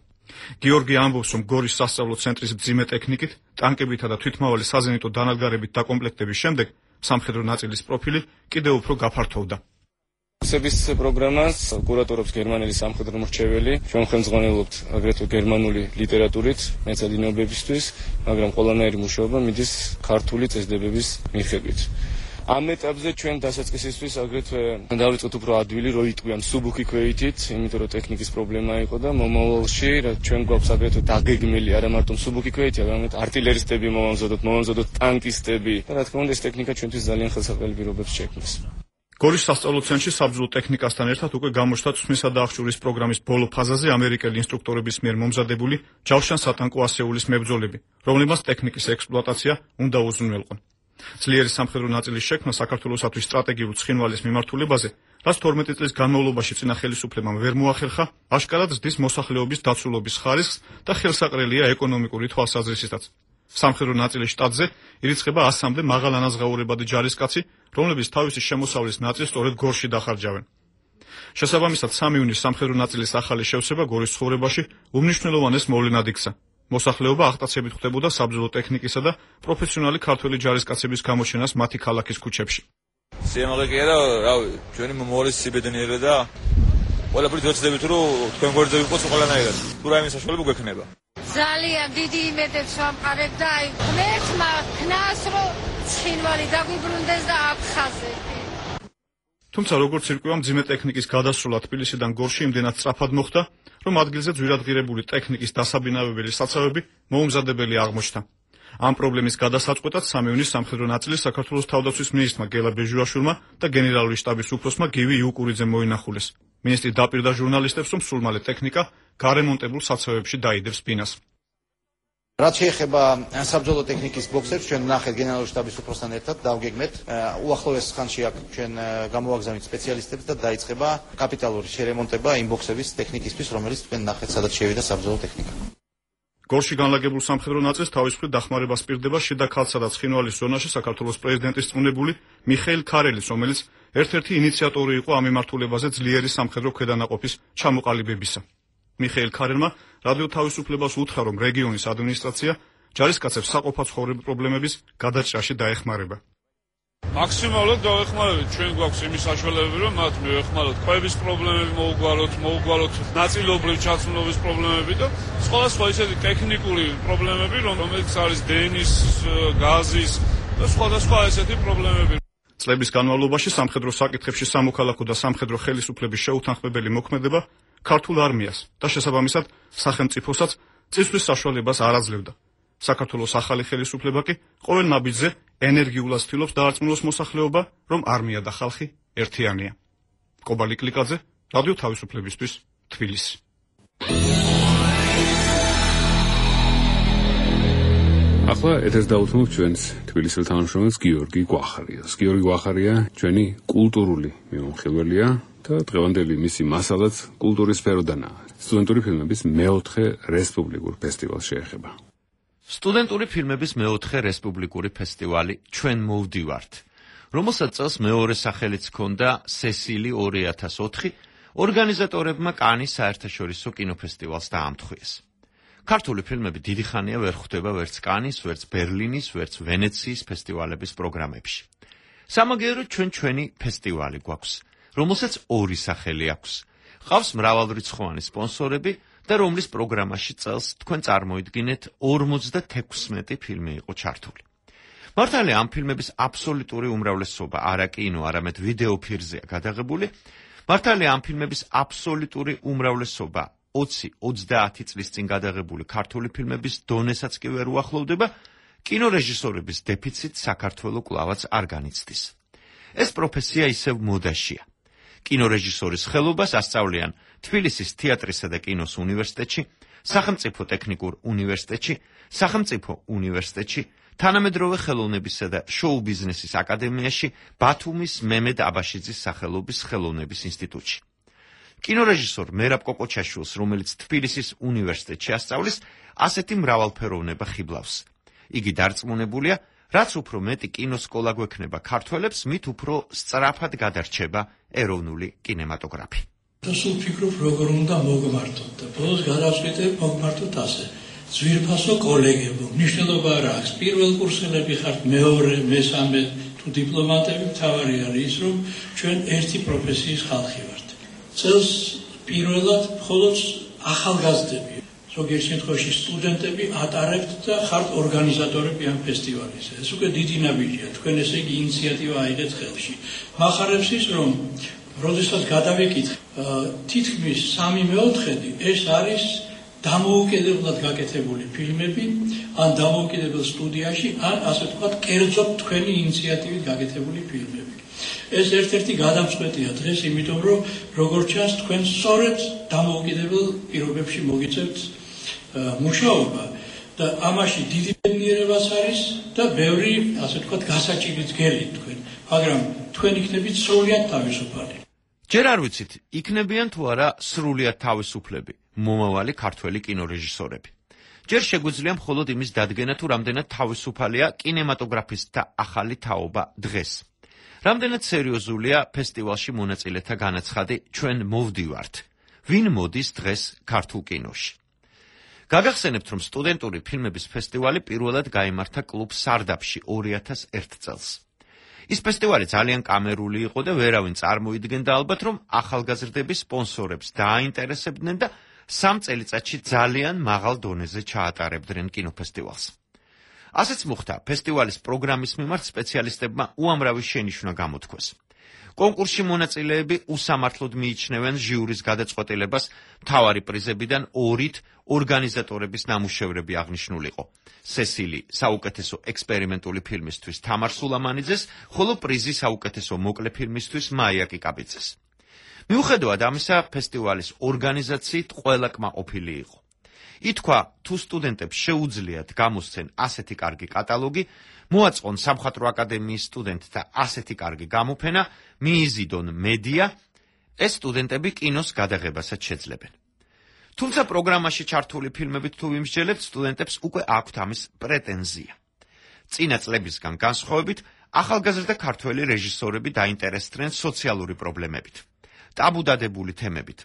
გიორგი ამბობს, რომ გორის სასწავლო ცენტრის მძიმე ტექნიკით, ტანკებითა და თვითმავალი საზენიტო დანადგარებით დაკომპლექტების შემდეგ სამხედრო ნაწილის პროფილი კიდევ უფრო გაფართოვდა. კურსების პროგრამას კურატორობს გერმანელი სამხედრო მრჩეველი. ჩვენ ხელმძღვანელობთ აგრეთვე გერმანული ლიტერატურით მეცადინეობებისთვის, მაგრამ ყველანაირი მუშაობა მიდის ქართული წესდებების მიხედვით. ამ ეტაპზე ჩვენ დასაწყისისთვის აგრეთვე დავიწყეთ უფრო ადვილი, რო იტყვიან სუბუქი ქვეითით, იმიტომ რომ ტექნიკის პრობლემა იყო და მომავალში ჩვენ გვაქვს აგრეთვე დაგეგმილი არა მარტო სუბუქი ქვეითი, არამედ артиლერისტები მომამზადოთ, მომამზადოთ ტანკისტები და რა თქმა უნდა ეს ტექნიკა ჩვენთვის ძალიან ხელსაყრელი პირობებს შექმნის. გორის სასწავლო ცენტრში საბრძოლო ტექნიკასთან ერთად უკვე გამოჩნდა წვიმისა და აღჭურის პროგრამის ბოლო ფაზაზე ამერიკელი ინსტრუქტორების მიერ მომზადებული ჯავშან სატანკო ასეულის მებრძოლები, რომლებმაც ტექნიკის ექსპლუატაცია უნდა უზრუნველყონ. ძლიერი სამხედრო ნაწილის შექმნა საქართველოსათვის სტრატეგიულ ცხინვალის მიმართულებაზე, რაც თორმეტი წლის განმავლობაში წინა ხელისუფლებამ ვერ მოახერხა, აშკარად ზრდის მოსახლეობის დაცულობის ხარისხს და ხელსაყრელია ეკონომიკური თვალსაზრისითაც. სამხედრო ნაწილის შტატზე ირიცხება ასამდე მაღალანაზღაურებადი ჯარისკაცი, რომლებიც თავისი შემოსავლის ნაწილს სწორედ გორში დახარჯავენ. შესაბამისად, სამი ივნის სამხედრო ნაწილის ახალი შევსება გორის ცხოვრებაში უმნიშვნელოვანეს მოვლენად იქცა. მოსახლეობა აღტაცებით ხვდებოდა საბრძოლო ტექნიკისა და პროფესიონალი ქართველი ჯარისკაცების გამოჩენას მათი ქალაქის ქუჩებში. სიამაყე კი არა, რავი, ჩვენი მომავალი სიბედნიერება და ყველაფერი ძოცდებით, რომ თქვენ გვერდზე ვიყოს ყველანაირად. თუ რაიმე საშუალება გვექნება. ძალიან დიდი იმედებს ვამყარებ და აი ღმერთმა ქნას, რომ ცხინვალი დაგვიბრუნდეს და აფხაზები. თუმცა როგორც ირკვევა, მძიმე ტექნიკის გადასროლა თბილისიდან გორში იმდენად სწრაფად მოხდა, რომ ადგილზე ძვირადღირებული ტექნიკის დასაბინავებელი საცავები მოუმზადებელი აღმოჩნდა. ამ პრობლემის გადასაწყვეტად სამი ივნის სამხედრო ნაწილის საქართველოს თავდაცვის მინისტრმა გელა ბეჟუაშვილმა და გენერალური შტაბის უფროსმა გივი იუკურიძემ მოინახულეს. მინისტრი დაპირდა ჟურნალისტებს, რომ სულ მალე ტექნიკა გარემონტებულ საცავებში დაიდებს ბინას. რაც შეეხება საბრძოლო ტექნიკის ბოქსებს, ჩვენ ნახეთ გენერალური შტაბის უფროსთან ერთად დავგეგმეთ. უახლოეს ხანში აქ ჩვენ გამოვაგზავნით სპეციალისტებს და დაიწყება კაპიტალური შერემონტება იმ ბოქსების ტექნიკისთვის, რომელიც თქვენ ნახეთ, სადაც შევიდა საბრძოლო ტექნიკა. გორში განლაგებულ სამხედრო ნაწილს თავის მხრივ დახმარება სპირდება შიდა ქალსა და ცხინვალის ზონაში საქართველოს პრეზიდენტის წმუნებული მიხეილ ქარელის, რომელიც ერთ-ერთი ინიციატორი იყო ამ მიმართულებაზე ძლიერი სამხედრო ქვედანაყოფის ჩამოყალიბებისა. მიხეილ ქარელმა რადიო თავისუფლებას უთხრა, რომ რეგიონის ადმინისტრაცია ჯარისკაცებს საყოფაცხოვრებო პრობლემების გადაჭრაში დაეხმარება. მაქსიმალურად დავეხმარებით, ჩვენ გვაქვს იმის საშუალებები, რომ მათ მივეხმაროთ ყვების პრობლემები მოუგვალოთ, მოუგვალოთ ნაწილობრივ ჩაცმულობის პრობლემები და სხვადასხვა ისეთი ტექნიკური პრობლემები, რომელიც არის დენის, გაზის და სხვადასხვა ესეთი პრობლემები. წლების განმავლობაში სამხედრო საკითხებში სამოქალაქო და სამხედრო ხელისუფლების შეუთანხმებელი მოქმედება ქართულ არმიას და შესაბამისად სახელმწიფოსაც წისთვის საშუალებას არ აძლევდა. საქართველოს ახალი ხელისუფლება კი ყოველ ნაბიჯზე ენერგიულად ცდილობს დაარწმუნოს მოსახლეობა, რომ არმია და ხალხი ერთიანია. კობალი კლიკაძე, რადიო თავისუფლებისთვის, თბილისი. ახლა ეთერს დავუთმობ ჩვენს თბილისელ თანამშრომელს გიორგი გვახარიას. გიორგი გვახარია ჩვენი კულტურული მიმოხილველია და დღევანდელი მისი მასალაც კულტურის სფეროდანაა. სტუდენტური ფილმების მეოთხე რესპუბლიკურ ფესტივალს შეეხება. სტუდენტური ფილმების მეოთხე რესპუბლიკური ფესტივალი ჩვენ მოვდივართ, რომელსაც წელს მეორე სახელიც ჰქონდა სესილი ორი ათას ოთხი, ორგანიზატორებმა კანის საერთაშორისო კინოფესტივალს დაამთხვიეს. ქართული ფილმები დიდი ხანია ვერ ხვდება ვერც კანის, ვერც ბერლინის, ვერც ვენეციის ფესტივალების პროგრამებში. სამაგიეროდ ჩვენ ჩვენი ფესტივალი გვაქვს, რომელსაც ორი სახელი აქვს. ყავს მრავალრიცხოვანი სპონსორები და რომლის პროგრამაში წელს თქვენ წარმოიდგინეთ ორმოცდათექვსმეტი ფილმი იყო ჩართული. მართალია ამ ფილმების აბსოლუტური უმრავლესობა არა კინო, არამედ ვიდეო ფირზეა გადაღებული. მართალია ამ ფილმების აბსოლუტური უმრავლესობა ოცი ოცდაათი წლის წინ გადაღებული ქართული ფილმების დონესაც კი ვერ უახლოვდება, კინორეჟისორების დეფიციტ საქართველოს კლავაც არ განიცდის. ეს პროფესია ისევ მოდაშია. კინორეჟისორის ხელობას ასწავლიან თბილისის თეატრისა და კინოს უნივერსიტეტში, სახელმწიფო ტექნიკურ უნივერსიტეტში, სახელმწიფო უნივერსიტეტში, თანამედროვე ხელოვნებისა და შოუ ბიზნესის აკადემიაში, ბათუმის მემედ აბაშიძის სახელობის ხელოვნების ინსტიტუტში. კინორეჟისორ მერაბ კოკოჩაშვილს, რომელიც თბილისის უნივერსიტეტში ასწავლის, ასეთი მრავალფეროვნება ხიბლავს. იგი დარწმუნებულია, რაც უფრო მეტი კინოსკოლა გვექნება ქართველებს, მით უფრო სწრაფად გადარჩება ეროვნული კინემატოგრაფი. სულ ფიქრობ, როგორ უნდა მოგმართოთ და ბოლოს გადავწყვიტე მოგმართოთ ასე. ძვირფასო კოლეგებო, მნიშვნელობა არ აქვს. პირველ კურსელები ხართ, მეორე, მესამე თუ დიპლომატები, მთავარი არის ის, რომ ჩვენ ერთი პროფესიის ხალხი ვართ. წელს პირველად მხოლოდ ახალგაზრდები, ზოგიერთ შემთხვევაში სტუდენტები ატარებთ და ხართ ორგანიზატორები ამ ფესტივალის. ეს უკვე დიდი ნაბიჯია, თქვენ ესე იგი ინიციატივა აიღეთ ხელში. მახარებს ის, რომ როდესაც გადავიკითხე, თითქმის სამი მეოთხედი ეს არის დამოუკიდებლად გაკეთებული ფილმები, ან დამოუკიდებელ სტუდიაში, ან ასე ვთქვათ, კერძოდ თქვენი ინიციატივით გაკეთებული ფილმები. ეს ერთ-ერთი გადამწყვეტია დღეს, იმიტომ რომ როგორც ჩანს, თქვენ სწორედ დამოუკიდებელ პირობებში მოგიწევთ მუშაობა და ამაში დიდი ბედნიერებაც არის და ბევრი, ასე ვთქვათ, გასაჭირიც გელით თქვენ, მაგრამ თქვენ იქნებით სრულად თავისუფალი. ჯერ არ ვიცით, იქნებიან თუ არა სრულად თავისუფლები მომავალი ქართველი კინორეჟისორები. ჯერ შეგვიძლია მხოლოდ იმის დადგენა, თუ რამდენად თავისუფალია კინემატოგრაფისტთა ახალი თაობა დღეს. რამდენად სერიოზულია ფესტივალში მონაწილეთა განაცხადი ჩვენ მოვდივართ. ვინ მოდის დღეს ქართულ კინოში? გაგახსენებთ, რომ სტუდენტური ფილმების ფესტივალი პირველად გაიმართა კლუბ სარდაფში ორი ათას ერთ წელს. ის ფესტივალი ძალიან კამერული იყო და ვერავინ წარმოიდგენდა ალბათ, რომ ახალგაზრდები სპონსორებს დააინტერესებდნენ და სამ წელიწადში ძალიან მაღალ დონეზე ჩაატარებდნენ კინოფესტივალს. ასეც მოხდა ფესტივალის პროგრამის მიმართ სპეციალისტებმა უამრავი შენიშვნა გამოთქვეს. კონკურსში მონაწილეები უსამართლოდ მიიჩნევენ ჟიურის გადაწყვეტილებას მთავარი პრიზებიდან ორით ორგანიზატორების ნამუშევრები აღნიშნულიყო. სესილი საუკეთესო ექსპერიმენტული ფილმისთვის თამარ სულამანიძეს, ხოლო პრიზი საუკეთესო მოკლე ფილმისთვის მაია კიკაბიძეს. მიუხედავად ამისა, ფესტივალის ორგანიზაციით ყველა კმაყოფილი იყო. ითქვა, თუ სტუდენტებს შეუძლიათ გამოსცენ ასეთი კარგი კატალოგი, მოაწყონ სამხატვრო აკადემიის სტუდენტთა ასეთი კარგი გამოფენა, მიიზიდონ მედია, ეს სტუდენტები კინოს გადაღებასაც შეძლებენ. თუმცა პროგრამაში ჩართული ფილმებით თუ ვიმსჯელებთ, სტუდენტებს უკვე აქვთ ამის პრეტენზია. წინა წლებისგან განსხვავებით, ახალგაზრდა ქართველი რეჟისორები დაინტერესდნენ სოციალური პრობლემებით, ტაბუდადებული თემებით.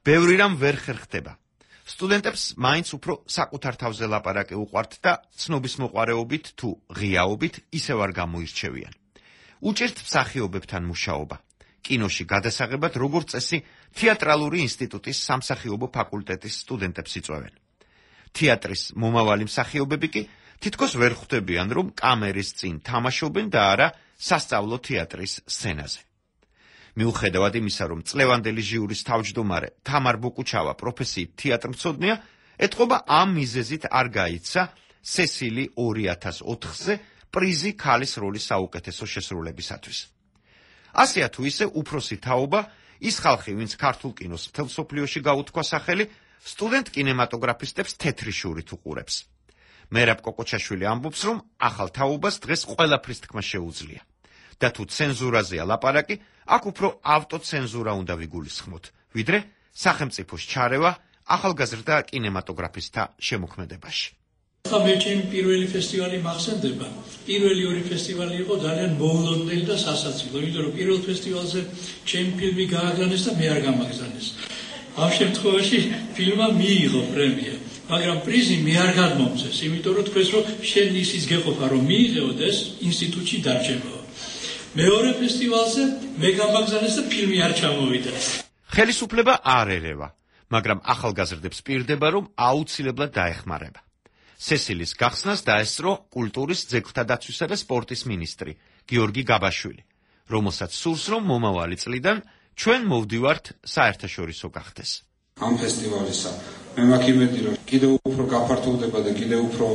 ბევრი რამ ვერ ხერხდება. სტუდენტებს მაინც უფრო საკუთარ თავზე ლაპარაკი უყვართ და ცნობის მოყვარეობით თუ ღიაობით ისევ არ გამოირჩევიან. უჭირთ მსახიობებთან მუშაობა. კინოში გადასაღებად როგორც წესი თეატრალური ინსტიტუტის სამსახიობო ფაკულტეტის სტუდენტებს იწვევენ. თეატრის მომავალი მსახიობები კი თითქოს ვერ ხვდებიან, რომ კამერის წინ თამაშობენ და არა სასწავლო თეატრის სცენაზე. მიუხედავად იმისა, რომ წლევანდელი ჟიურის თავმჯდომარე თამარ ბოკუჩავა პროფესიით თეატრმცოდნეა, ეთყობა ამ მიზეზით არ გაიცა სესილი ორი ათას ოთხზე პრიზი ქალის როლის საუკეთესო შესრულებისათვის. ასეა თუ ისე უფროსი თაობა, ის ხალხი, ვინც ქართულ კინოს მთელ მსოფლიოში გაუთქვა სახელი, სტუდენტ კინემატოგრაფისტებს თეთრი შურით უყურებს. მერაბ კოკოჩაშვილი ამბობს, რომ ახალ თაობას დღეს ყველაფრის თქმა შეუძლია. და თუ ცენზურაზეა ლაპარაკი, აქ უფრო ავტოცენზურა უნდა ვიგულისხმოთ, ვიდრე სახელმწიფოს ჩარევა ახალგაზრდა კინემატოგრაფისტთა შემოქმედებაში. ახლა მე ჩემი პირველი ფესტივალი მახსენდება. პირველი ორი ფესტივალი იყო ძალიან მოულოდნელი და სასაცილო, იმიტომ რომ პირველ ფესტივალზე ჩემი ფილმი გააგზავნეს და მე არ გამაგზავნეს. ამ შემთხვევაში ფილმმა მიიღო პრემია, მაგრამ პრიზი მე არ გადმომწეს, იმიტომ რომ თქვენს რომ შენ ისიც გეყოფა რომ მიიღეო და ეს ინსტიტუტში დარჩებაო. მეორე ფესტივალზე მე გამაგზავნეს და ფილმი არ ჩამოვიდა. ხელისუფლება არ ერევა, მაგრამ ახალგაზრდებს პირდება, რომ აუცილებლად დაეხმარება. სესილის გახსნას დაესწრო კულტურის, ძეგლთა დაცვისა და სპორტის მინისტრი გიორგი გაბაშვილი, რომელსაც სურს, რომ მომავალი წლიდან ჩვენ მოვდივართ საერთაშორისო გახდეს. ამ ფესტივალისა მე მაქვს იმედი, რომ კიდევ უფრო გაფართოვდება და კიდევ უფრო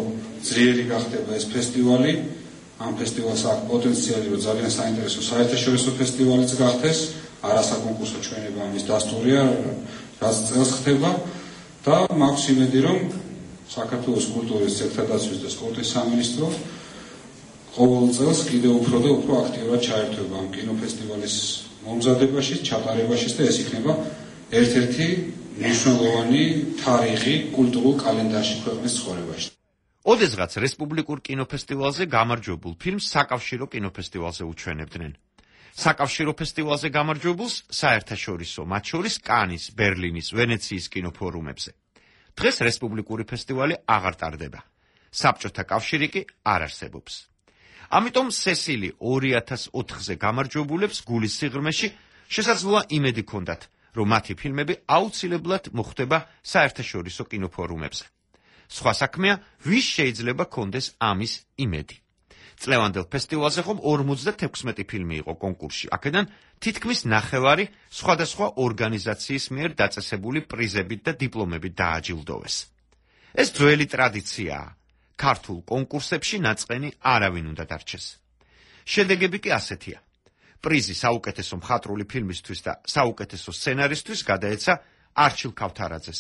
ძლიერი გახდება ეს ფესტივალი. ამ ფესტივალს აქვს პოტენციალი, რომ ძალიან საინტერესო საერთაშორისო ფესტივალიც გახდეს. არასაკონკურსო ჩვენება ამის დასტურია, რაც წელს ხდება და მაქვს იმედი, რომ საქართველოს კულტურის, ძეგლთადაცვის და სპორტის სამინისტრო ყოველ წელს კიდევ უფრო და უფრო აქტიურად ჩაერთვება ამ კინოფესტივალის მომზადებაში, ჩატარებაში და ეს იქნება ერთ-ერთი მნიშვნელოვანი თარიღი კულტურულ კალენდარში ქვეყნის ცხოვრებაში. ოდესღაც რესპუბლიკურ კინოფესტივალზე გამარჯვებულ ფილმს საკავშირო კინოფესტივალზე უჩვენებდნენ. საკავშირო ფესტივალზე გამარჯვებულს საერთაშორისო, მათ შორის კანის, ბერლინის, ვენეციის კინოფორუმებზე. დღეს რესპუბლიკური ფესტივალი აღარ ტარდება. საბჭოთა კავშირი კი არ არსებობს. ამიტომ სესილი ორი ათას ოთხზე გამარჯვებულებს გულის სიღრმეში შესაძლოა იმედი ჰქონდათ, რომ მათი ფილმები აუცილებლად მოხვდება საერთაშორისო კინოფორუმებზე. სხვა საქმეა, ვის შეიძლება ჰქონდეს ამის იმედი. წლევანდელ ფესტივალზე ხომ ორმოცდათექვსმეტი ფილმი იყო კონკურსში, აქედან თითქმის ნახევარი სხვადასხვა ორგანიზაციის მიერ დაწესებული პრიზებით და დიპლომებით დააჯილდოვეს. ეს ძველი ტრადიციაა. ქართულ კონკურსებში ნაწყენი არავინ უნდა დარჩეს. შედეგები კი ასეთია. პრიზი საუკეთესო მხატვრული ფილმისთვის და საუკეთესო სცენარისთვის გადაეცა არჩილ ქავთარაძეს.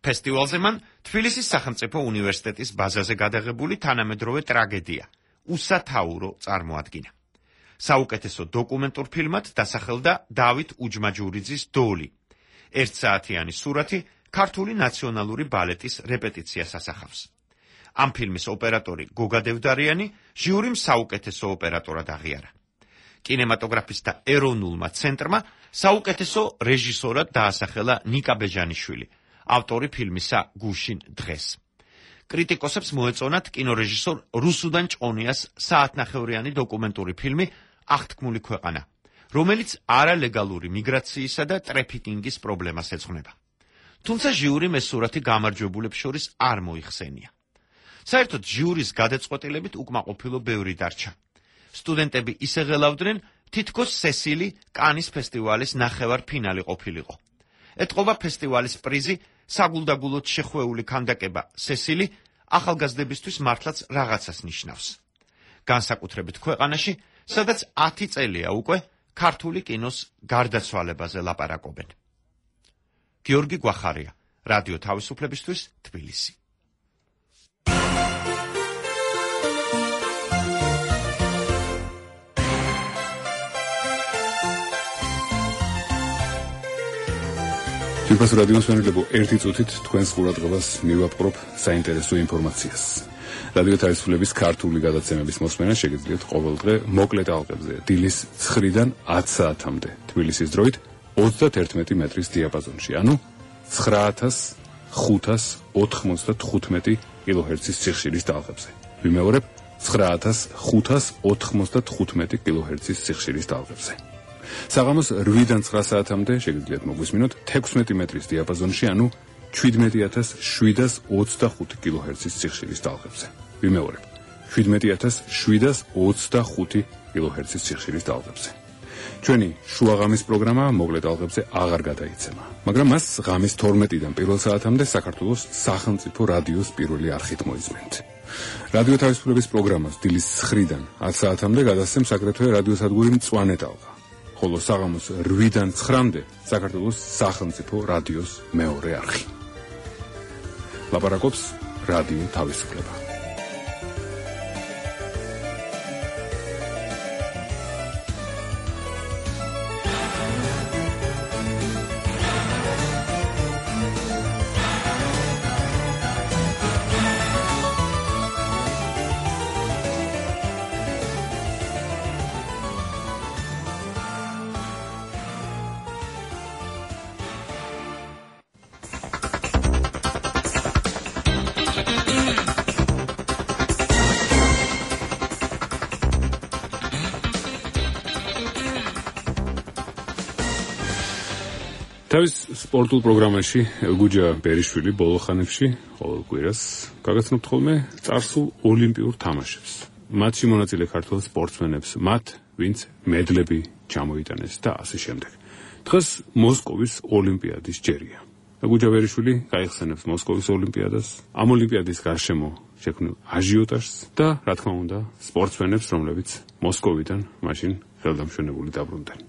ფესტივალზე მან თბილისის სახელმწიფო უნივერსიტეტის ბაზაზე გადაღებული თანამედროვე ტრაგედია უსათაურო წარმოადგინა. საუკეთესო დოკუმენტურ ფილმად დასახელდა დავით უჯმაჯურიძის დოლი. ერთსაათიანი სურათი ქართული ნაციონალური ბალეტის რეპეტიციას ასახავს. ამ ფილმის ოპერატორი გოგა დევდარიანი ჟიურიმ საუკეთესო ოპერატორად აღიარა. კინემატოგრაფისტთა ეროვნულმა ცენტრმა საუკეთესო რეჟისორად დაასახელა ნიკა ბეჟანიშვილი, ავტორი ფილმისა გუშინ დღეს. კრიტიკოსებს მოეწონათ კინორეჟისორ რუსუდან ჭონიას საათნახევრიანი დოკუმენტური ფილმი აღთქმული ქვეყანა, რომელიც არალეგალური მიგრაციისა და ტრეფიკინგის პრობლემას ეძღვნება. თუმცა ჟიურიმ ეს სურათი გამარჯვებულებს შორის არ მოიხსენია. საერთოდ ჟიურის გადაწყვეტილებით უკმაყოფილო ბევრი დარჩა. სტუდენტები ისე ღელავდნენ, თითქოს სესილი კანის ფესტივალის ნახევარ ფინალი ყოფილიყო. ეტყობა ფესტივალის პრიზი საგულდაგულოდ შეხვეული ქანდაკება სესილი ახალგაზრდებისთვის მართლაც რაღაცას ნიშნავს. განსაკუთრებით ქვეყანაში, სადაც ათი წელია უკვე ქართული კინოს გარდაცვალებაზე ლაპარაკობენ. გიორგი გვახარია, რადიო თავისუფლებისთვის, თბილისი. თვითონ რადიოს მენეჯერებო ერთი წუთით თქვენს ყურადღებას მივაპყრობ საინტერესო ინფორმაციას. რადიო თავისუფლების ქართული გადაცემების მოსმენა შეგიძლიათ ყოველდღე მოკლე ტალღებზე დილის ცხრიდან ათ საათამდე თბილისის დროით ოცდაათი მეტრის დიაპაზონში, ანუ ცხრა ათას ხუთას ოთხმოცდათხუთმეტი კილოჰერცის სიხშირის ტალღებზე. ვიმეორებ, ცხრა ათას ხუთას ოთხმოცდათხუთმეტი კილოჰერცის სიხშირის ტალღებზე. საღამოს რვიდან ცხრა საათამდე შეგიძლიათ მოგვისმინოთ თექვსმეტი მეტრის დიაპაზონში, ანუ შვიდმეტი ათას შვიდას ოცდახუთი კილოჰერცის სიხშირის ტალღებზე. ვიმეორებ, შვიდმეტი ათას შვიდას ოცდახუთი კილოჰერცის სიხშირის ტალღებზე. ჩვენი შუაღამის პროგრამა მოკლე ტალღებზე აღარ გადაიცემა, მაგრამ მას ღამის თორმეტიდან პირველ საათამდე საქართველოს სახელმწიფო რადიოს პირველი არხით მოისმენთ. რადიო თავისუფლების პროგრამას დილის ცხრიდან ათ საათამდე გადასცემს აგრეთვე რადიოსადგური მწვანე ტალღა. ხოლო საღამოს რვიდან ცხრამდე საქართველოს სახელმწიფო რადიოს მეორე არხი. ლაპარაკობს რადიო თავისუფლება. თავის სპორტულ პროგრამაში გუჯა ბერიშვილი ბოლო ხანებში ყოველ კვირას გაგაცნობთ ხოლმე წარსულ ოლიმპიურ თამაშებს. მათში მონაწილე ქართველ სპორტსმენებს, მათ, ვინც მედლები ჩამოიტანეს და ასე შემდეგ. დღეს მოსკოვის ოლიმპიადის ჯერია. გუჯა ბერიშვილი გაიხსენებს მოსკოვის ოლიმპიადას, ამ ოლიმპიადის გარშემო შექმნილ აჟიოტაჟს და, რა თქმა უნდა, სპორტსმენებს, რომლებიც მოსკოვიდან მაშინ ხელდამშვენებული დაბრუნდნენ.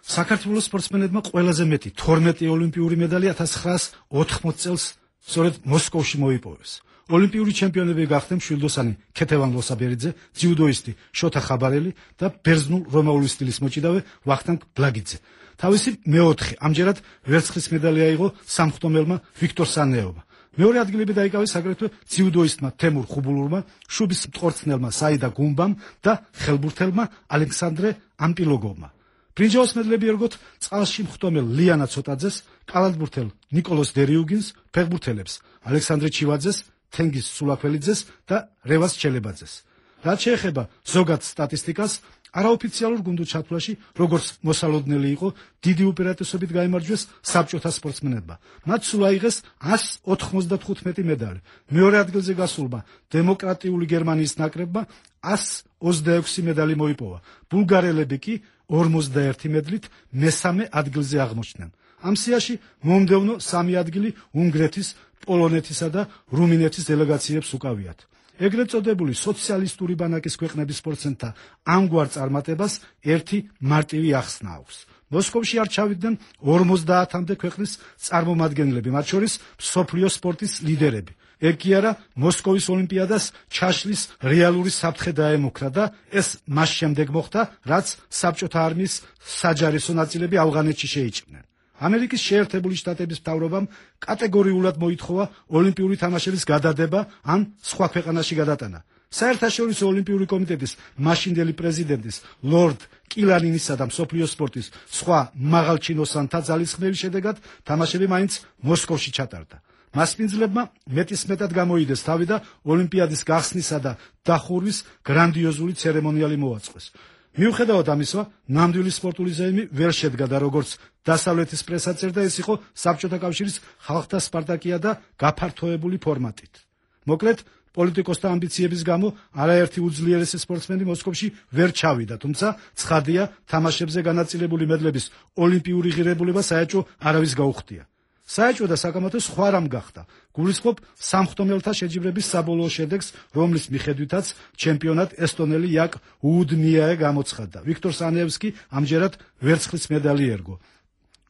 საქართველოს სპორტსმენებმა ყველაზე მეტი თორმეტი ოლიმპიური მედალი ათას ცხრაას ოთხმოცი წელს სწორედ მოსკოვში მოიპოვეს. ოლიმპიური ჩემპიონები გახდნენ მშვილდოსანი ქეთევან ლოსაბერიძე, ძიუდოისტი შოთა ხაბარელი და ბერძნულ-რომაული სტილის მოჭიდავე ვახტანგ ბლაგიძე. თავისი მეოთხე, ამჯერად ვერცხლის მედალი აიღო სამხდომელმა ვიქტორ სანეოვმა. მეორე ადგილები დაიკავეს აგრეთვე ძიუდოისტმა თემურ ხუბულურმა, შუბის მტყორცნელმა საიდა გუმბამ და ხელბურთელმა ალექსანდრე ამპილოგოვმა. ბრინჯაოს მედლები ერგოთ წყალში მხტომელ ლიანა ცოტაძეს, კალათბურთელ ნიკოლოს დერიუგინს, ფეხბურთელებს ალექსანდრე ჩივაძეს, თენგიზ სულაქველიძეს და რევას ჩელებაძეს. რაც შეეხება ზოგად სტატისტიკას, არაოფიციალურ გუნდურ ჩათვლაში, როგორც მოსალოდნელი იყო, დიდი უპირატესობით გაიმარჯვეს საბჭოთა სპორტსმენებმა. მათ სულ აიღეს ას ოთხმოცდათხუთმეტი მედალი. მეორე ადგილზე გასულმა დემოკრატიული გერმანიის ნაკრებმა ას ოცდაექვსი მედალი მოიპოვა. ბულგარელები კი ორმოცდაერთი მედლით მესამე ადგილზე აღმოჩნდნენ. ამ სიაში მომდევნო სამი ადგილი უნგრეთის, პოლონეთისა და რუმინეთის დელეგაციებს უკავიათ. ეგრეთ წოდებული სოციალისტური ბანაკის ქვეყნების სპორტსმენთა ამგვარ წარმატებას ერთი მარტივი ახსნა აქვს. მოსკოვში არ ჩავიდნენ ორმოცდაათამდე ქვეყნის წარმომადგენლები, მათ შორის მსოფლიო სპორტის ლიდერები. ეგ კი არა, მოსკოვის ოლიმპიადას ჩაშლის რეალური საფრთხე დაემუქრა და ეს მას შემდეგ მოხდა, რაც საბჭოთა არმიის საჯარისო ნაწილები ავღანეთში შეიჭრნენ. ამერიკის შეერთებული შტატების მთავრობამ კატეგორიულად მოითხოვა ოლიმპიური თამაშების გადადება ან სხვა ქვეყანაში გადატანა. საერთაშორისო ოლიმპიური კომიტეტის მაშინდელი პრეზიდენტის ლორდ კილანინისა და მსოფლიო სპორტის სხვა მაღალჩინოსანთა ძალისხმევის შედეგად თამაშები მაინც მოსკოვში ჩატარდა. მასპინძლებმა მეტისმეტად გამოიდეს თავი და ოლიმპიადის გახსნისა და დახურვის გრანდიოზული ცერემონიალი მოაწყეს. მიუხედავად ამისა, ნამდვილი სპორტული ზეიმი ვერ შედგა და როგორც დასავლეთის პრესა წერდა, ეს იყო საბჭოთა კავშირის ხალხთა სპარტაკია და გაფართოებული ფორმატით. მოკლედ, პოლიტიკოსთა ამბიციების გამო არაერთი უძლიერესი სპორტსმენი მოსკოვში ვერ ჩავიდა, თუმცა ცხადია, თამაშებზე განაწილებული მედლების ოლიმპიური ღირებულება საერთო არავის გაუხდია. საერთო და საკამათო სხვა რამ გახდა. გულისხმობ სამხდომელთა შეჯიბრების საბოლოო შედეგს, რომლის მიხედვითაც ჩემპიონად ესტონელი იაკ უდმიაე გამოცხადდა. ვიქტორ სანეევს კი ამჯერად ვერცხლის მედალი ერგო.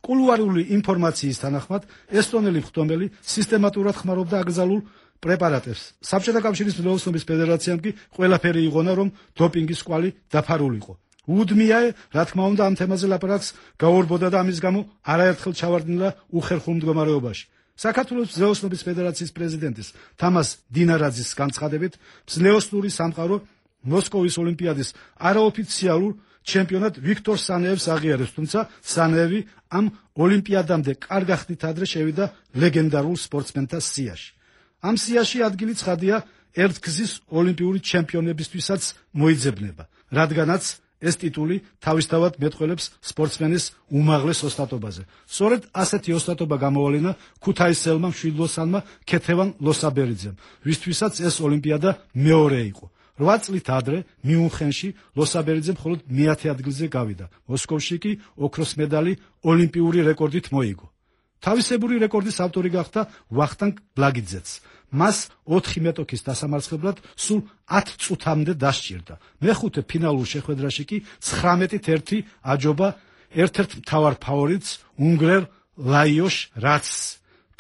კულუარული ინფორმაციის თანახმად, ესტონელი მხდომელი სისტემატურად ხმარობდა აკრძალულ პრეპარატებს. საბჭოთა კავშირის მძლავრობის ფედერაციამ კი ყველაფერი იღონა, რომ დოპინგის კვალი დაფარულიყო. უდმიაე, რა თქმა უნდა, ამ თემაზე ლაპარაკს გაურბოდა და ამის გამო არაერთხელ ჩავარდნილა უხერხულ მდგომარეობაში. საქართველოს მძლავრობის ფედერაციის პრეზიდენტის თამას დინარაძის განცხადებით, მძლავრობური სამყარო მოსკოვის ოლიმპიადის არაოფიციალურ ჩემპიონად ვიქტორ სანეევს აღიარებს, თუმცა სანეევი ამ ოლიმპიადამდე კარგ ხნით ადრე შევიდა ლეგენდარულ სპორტსმენთა სიაში. ამ სიაში ადგილი ცხადია ერთგზის ოლიმპიური ჩემპიონებისთვისაც მოიძებნება, რადგანაც ეს ტიტული თავისთავად მეტყველებს სპორტსმენის უმაღლეს ოსტატობაზე. სწორედ ასეთი ოსტატობა გამოავლინა ქუთაისელმა მშვილდოსანმა ქეთევან ლოსაბერიძემ, ვისთვისაც ეს ოლიმპიადა მეორე იყო. რვა წლით ადრე მიუნხენში ლოსაბერიძე მხოლოდ მეათე ადგილზე გავიდა. მოსკოვში კი ოქროს მედალი ოლიმპიური რეკორდით მოიგო. თავისებური რეკორდის ავტორი გახდა ვახტანგ ბლაგიძეც. მას ოთხი მეტოქის დასამარცხებლად სულ ათ წუთამდე დასჭირდა. მეხუთე ფინალურ შეხვედრაში კი ცხრამეტით ერთი აჯობა ერთ-ერთ მთავარ ფავორიტს უნგრელ ლაიოშ რაცს.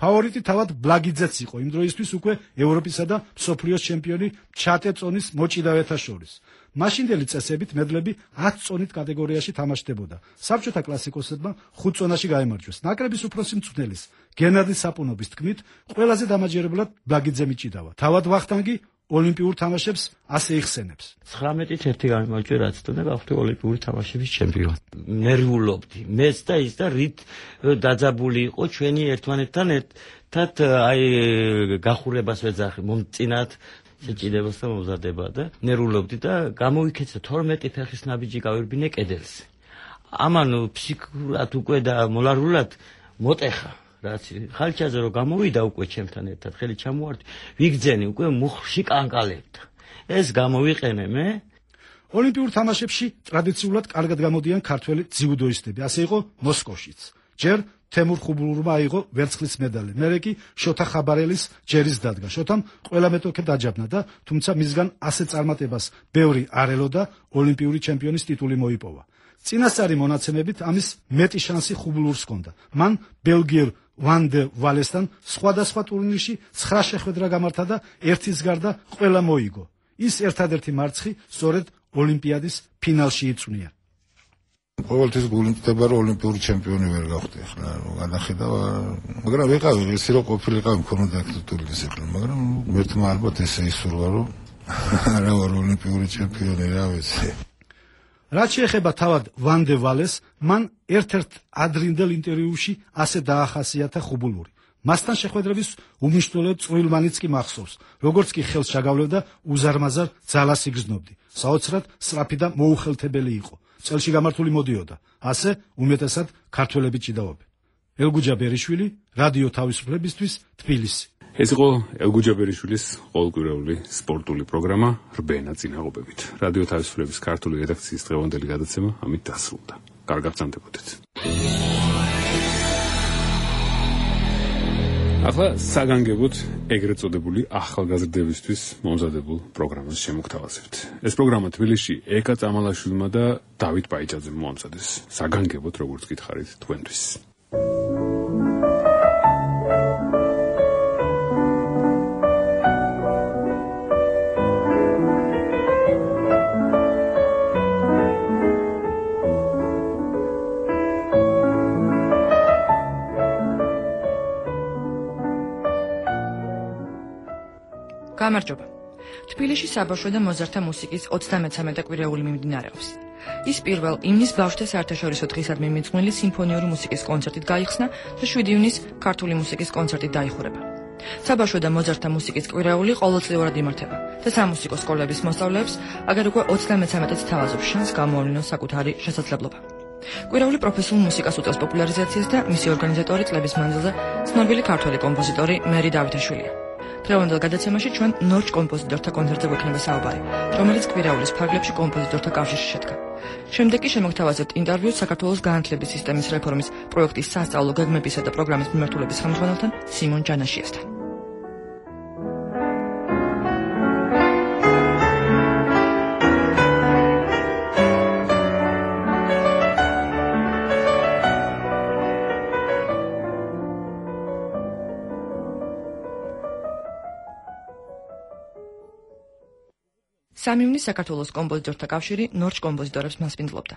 ფავორიტი თავად ბლაგიძეც იყო, იმ დროისთვის უკვე ევროპისა და მსოფლიოს ჩემპიონი ჩატე წონის მოჭიდავეთა შორის. მაშინდელი წესებით მედლები ათ წონით კატეგორიაში თამაშდებოდა. საბჭოთა კლასიკოსებმა ხუთ წონაში გაიმარჯვეს. ნაკრების უფროსი მწვრთნელის გენადი საპუნობის თქმით, ყველაზე დამაჯერებლად ბლაგიძე მიჭიდავა. თავად ვახტანგი ოლიმპიურ თამაშებს ასე იხსენებს. ცხრამეტით ერთი გამიმარჯვე, რაც თუნდა გავხდი ოლიმპიური თამაშების ჩემპიონი. ნერვიულობდი. მეც და ის და რით დაძაბული იყო ჩვენი ერთმანეთთან ერთად აი გახურებას ვეძახი მომწინათ შეჭიდებას და მომზადება და ნერვიულობდი და გამოვიქეცა თორმეტი ფეხის ნაბიჯი გავირბინე კედელზე. ამან ფსიქურად უკვე და მოლარულად მოტეხა. რაც ხალხაზე რომ გამოვიდა უკვე ჩემთან ერთად ხელი ჩამოართი, ვიგძენი უკვე მუხში კანკალებდა. ეს გამოვიყენე მე. ოლიმპიურ თამაშებში ტრადიციულად კარგად გამოდიან ქართველი ძიუდოისტები, ასე იყო მოსკოვშიც. ჯერ თემურ ხუბულურმა აიღო ვერცხლის მედალი, მერე კი შოთა ხაბარელის ჯერის დადგა. შოთამ ყველა მეტოქე დაჯაბნა და თუმცა მისგან ასე წარმატებას ბევრი არ ელოდა, ოლიმპიური ჩემპიონის ტიტული მოიპოვა. წინასწარი მონაცემებით ამის მეტი შანსი ხუბულურს ჰქონდა. მან ბელგიელ ვან დე ვალესთან სხვადასხვა ტურნირში ცხრა შეხვედრა გამართა და ერთის გარდა ყველა მოიგო. ის ერთადერთი მარცხი სწორედ ოლიმპიადის ფინალში იწვნია. ყოველთვის გულიმტდება რომ ოლიმპიური ჩემპიონი ვერ გავხდი ახლა რომ განახედავ მაგრამ ვიყავი ისე რომ ყოფილიყავი მქონოდა ტურნირის ახლა მაგრამ მერტმა ალბათ ესე ისურვა რომ არა ვარ ოლიმპიური ჩემპიონი რა ვიცი. რაც შეეხება თავად ვან დე ვალეს, მან ერთ-ერთ ადრინდელ ინტერვიუში ასე დაახასიათა ხუბულური. მასთან შეხვედრების უმნიშვნელო წვრილმანიც კი მახსოვს, როგორც კი ხელს ჩაგავლევდა უზარმაზარ ძალას იგრძნობდი. საოცრად სწრაფი და მოუხელთებელი იყო. წელში გამართული მოდიოდა. ასე უმეტესად ქართველები ჭიდაობენ. ელგუჯა ბერიშვილი, რადიო თავისუფლებისთვის, თბილისი. ეს იყო ელგუჯა ბერიშვილის ყოველკვირეული სპორტული პროგრამა რბ ნაწინააღმდეგობით. რადიო თავისუფლების ქართული რედაქციის დღევანდელი გადაცემა ამით დასრულდა. კარგად გრძანდებოდეთ. ახლა საგანგებოდ ეგრეთ წოდებული ახალგაზრდებისთვის მომზადებულ პროგრამას შემოგთავაზებთ. ეს პროგრამა თბილისში ეკა წამალაშვილმა და დავით პაიჭაძემ მოამზადეს. საგანგებოდ როგორც გითხარით თქვენთვის. გამარჯობა. თბილისში საბავშვო და მოზარდთა მუსიკის ოცდამეცამეტე კვირეული მიმდინარეობს. ის პირველ იმნის ბავშვთა საერთაშორისო დღისადმი მიძღვნილი სიმფონიური მუსიკის კონცერტით გაიხსნა და შვიდი ივნის ქართული მუსიკის კონცერტით დაიხურება. საბავშვო და მოზარდთა მუსიკის კვირეული ყოველწლიურად იმართება და სამუსიკო სკოლების მოსწავლეებს აგერ უკვე ოცდამეცამეტეც თავაზობს შანს გამოავლინოს საკუთარი შესაძლებლობა. კვირეული პროფესიულ მუსიკას უწევს პოპულარიზაციას და მისი ორგანიზატორი წლების მანძილზე ცნობილი ქართველი კომპოზიტორი მერი დავითაშვილია. დღევანდელ გადაცემაში ჩვენ ნორჩ კომპოზიტორთა კონცერტზე გვექნება საუბარი, რომელიც კვირაულის ფარგლებში კომპოზიტორთა კავშირში შედგა. შემდეგ კი შემოგთავაზებთ ინტერვიუს საქართველოს განათლების სისტემის რეფორმის პროექტის სასწავლო გეგმებისა და პროგრამის მიმართულების ხელმძღვანელთან სიმონ ჯანაშიასთან. სამი ივნის საქართველოს კომპოზიტორთა კავშირი ნორჩ კომპოზიტორებს მასპინძლობდა.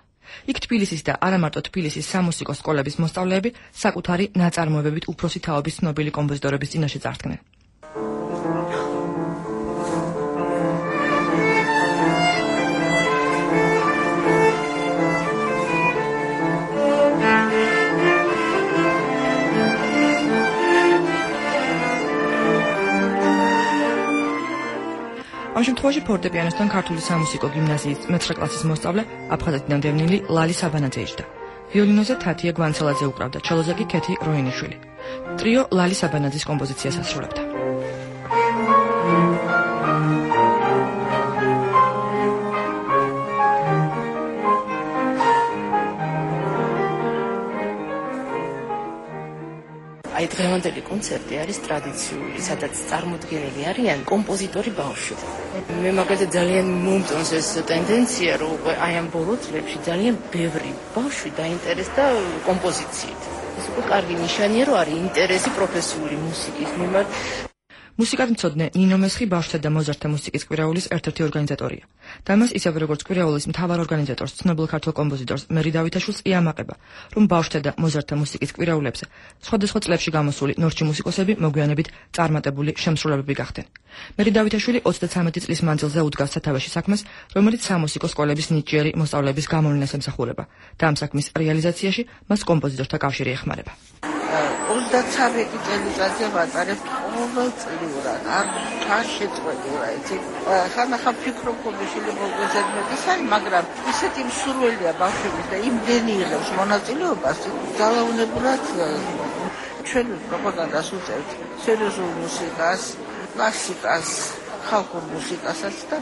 იქ თბილისის და არა მარტო თბილისის სამუსიკო სკოლების მოსწავლეები საკუთარი ნაწარმოებებით უფროსი თაობის ცნობილი კომპოზიტორების წინაშე წარდგნენ. ამ შემთხვევაში ფორტეპიანოსთან ქართული სამუსიკო გიმნაზიის მეცხრე კლასის მოსწავლე აფხაზეთიდან დევნილი ლალი საბანაძე იჯდა. ვიოლინოზე თათია გვანცელაძე უკრავდა, ჩელოზე კი ქეთი როინიშვილი. ტრიო ლალი საბანაძის კომპოზიციას ასრულებდა. აი დღევანდელი კონცერტი არის ტრადიციული, სადაც წარმოდგენილი არიან კომპოზიტორი ბავშვები. მე მაგალითად ძალიან მომწონს ეს ტენდენცია, რომ უკვე აი ამ ბოლო წლებში ძალიან ბევრი ბავშვი დაინტერესდა კომპოზიციით. ეს უკვე კარგი ნიშანია, რომ არის ინტერესი პროფესიული მუსიკის მიმართ. მუსიკათმცოდნე ნინო მესხი ბავშვთა და მოზარდთა მუსიკის კვირაულის ერთ-ერთი ორგანიზატორია. და მას ისევე როგორც კვირაულის მთავარ ორგანიზატორს, ცნობილ ქართულ კომპოზიტორს მერი დავითაშვილს იამაყება, რომ ბავშვთა და მოზარდთა მუსიკის კვირაულებზე სხვადასხვა წლებში გამოსული ნორჩი მუსიკოსები მოგვიანებით წარმატებული შემსრულებლები გახდნენ. მერი დავითაშვილი ოცდაცამეტი წლის მანძილზე უდგას სათავეში საქმეს, რომელიც სამუსიკო სკოლების ნიჭიერი მოსწავლეების გამოვლენას ემსახურება და ამ საქმის რეალიზაციაში მას კომპოზიტორთა კავშირი ეხმარება. ოცდაცამეტი წელიწადზე ვატარებთ ყოველწლიურად, არ არ შეწყვეტილა, იცი? ხანახან ფიქრობ, რომ შეიძლება მოგეძებნდეს, მაგრამ ისეთი მსურველია ბავშვების და იმდენი იღებს მონაწილეობას, ძალაუნებურად ჩვენ პროპაგანდას უწევთ სერიოზულ მუსიკას, კლასიკას, ხალხურ მუსიკასაც და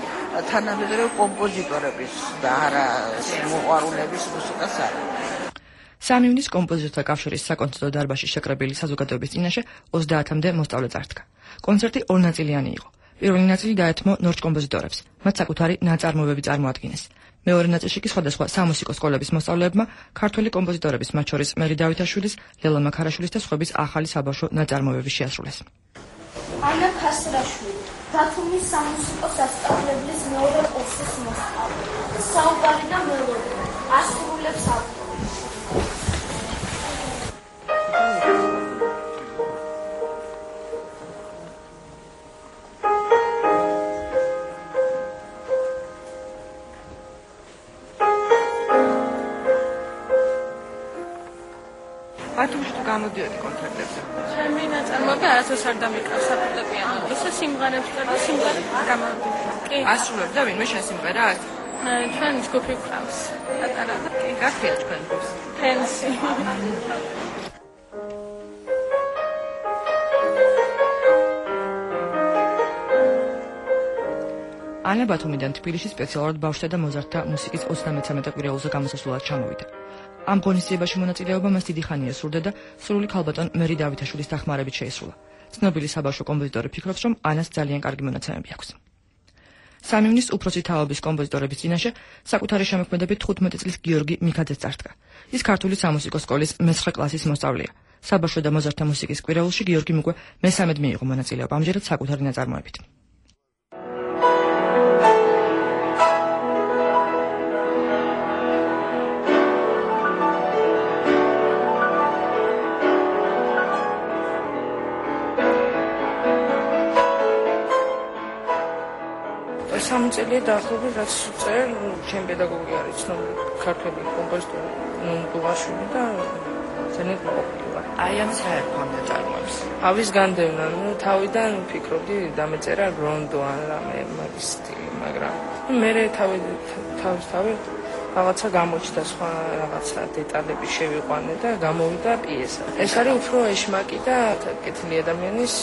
თანამედროვე კომპოზიტორების და არა მოყვარულების მუსიკას არა. სამი ივნის კომპოზიტორთა კავშირის საკონცერტო დარბაზში შეკრებილი საზოგადოების წინაშე ოცდაათამდე მოსწავლე წარდგა. კონცერტი ორნაწილიანი იყო. პირველი ნაწილი დაეთმო ნორჩ კომპოზიტორებს, მათ საკუთარი ნაწარმოებები წარმოადგინეს. მეორე ნაწილში კი სხვადასხვა სამუსიკო სკოლების მოსწავლეებმა ქართველი კომპოზიტორების, მათ შორის მერი დავითაშვილის, ლელა მაქარაშვილის და სხვების ახალი საბავშვო ნაწარმოებები შეასრულეს. ანა ქასრაშვილი, ბათუმის სამუსიკო სასწავლებლის მეორე კურსის მოსწავლე. საუბარი და მელოდია, ასრულებს ავტორი. ბათუმში თუ გამოდიოდი კონცერტებზე? ჩემი ნაწარმოები არასდროს არ დამიკარს საფორტეპიანო. ისე სიმღერებს და სიმღერებს გამოვიდი. კი. ასრულებ და ვინმე შენ სიმღერას? ჩვენ ჯგუფი გვყავს. პატარა. კი, გაქრია თქვენ ჯგუფს. ფენსი. ანა ბათუმიდან თბილისში სპეციალურად ბავშვთა და მოზარდთა მუსიკის ოცდამეცამეტე კვირეულზე გამოსასვლელად ჩამოვიდა. ამ ღონისძიებაში მონაწილეობა მას დიდი ხანია სურდა და სრული ქალბატონ მერი დავითაშვილის დახმარებით შეისრულა. ცნობილი საბავშვო კომპოზიტორი ფიქრობს, რომ ანას ძალიან კარგი მონაცემები აქვს. სამივნის უფროსი თაობის კომპოზიტორების წინაშე საკუთარი შემოქმედებით თხუთმეტი წლის გიორგი მიქაძე წარდგა. ის ქართული სამუსიკო სკოლის მეცხრე კლასის მოსწავლეა. საბავშვო და მოზარდთა მუსიკის კვირეულში გიორგიმ უკვე მესამედ მიიღო მონაწილეობა, ამჯერად საკუთარი ნაწარმოებით. სამწელია დაახლოებით რაც წერ ჩემი პედაგოგი არის ცნობილი ქართველი კომპოზიტორი ნუნდუაშვილი და ძალიან მოყოლა. აი ამ საერთო ნაწარმოებს. ავის განდევნა, ნუ თავიდან ფიქრობდი დამეწერა რონდო ან რამე მაგის სტილი, მაგრამ მე თავი თავის თავი რაღაცა გამოჩნდა სხვა რაღაცა დეტალები შევიყვანე და გამოვიდა პიესა. ეს არის უფრო ეშმაკი და კეთილი ადამიანის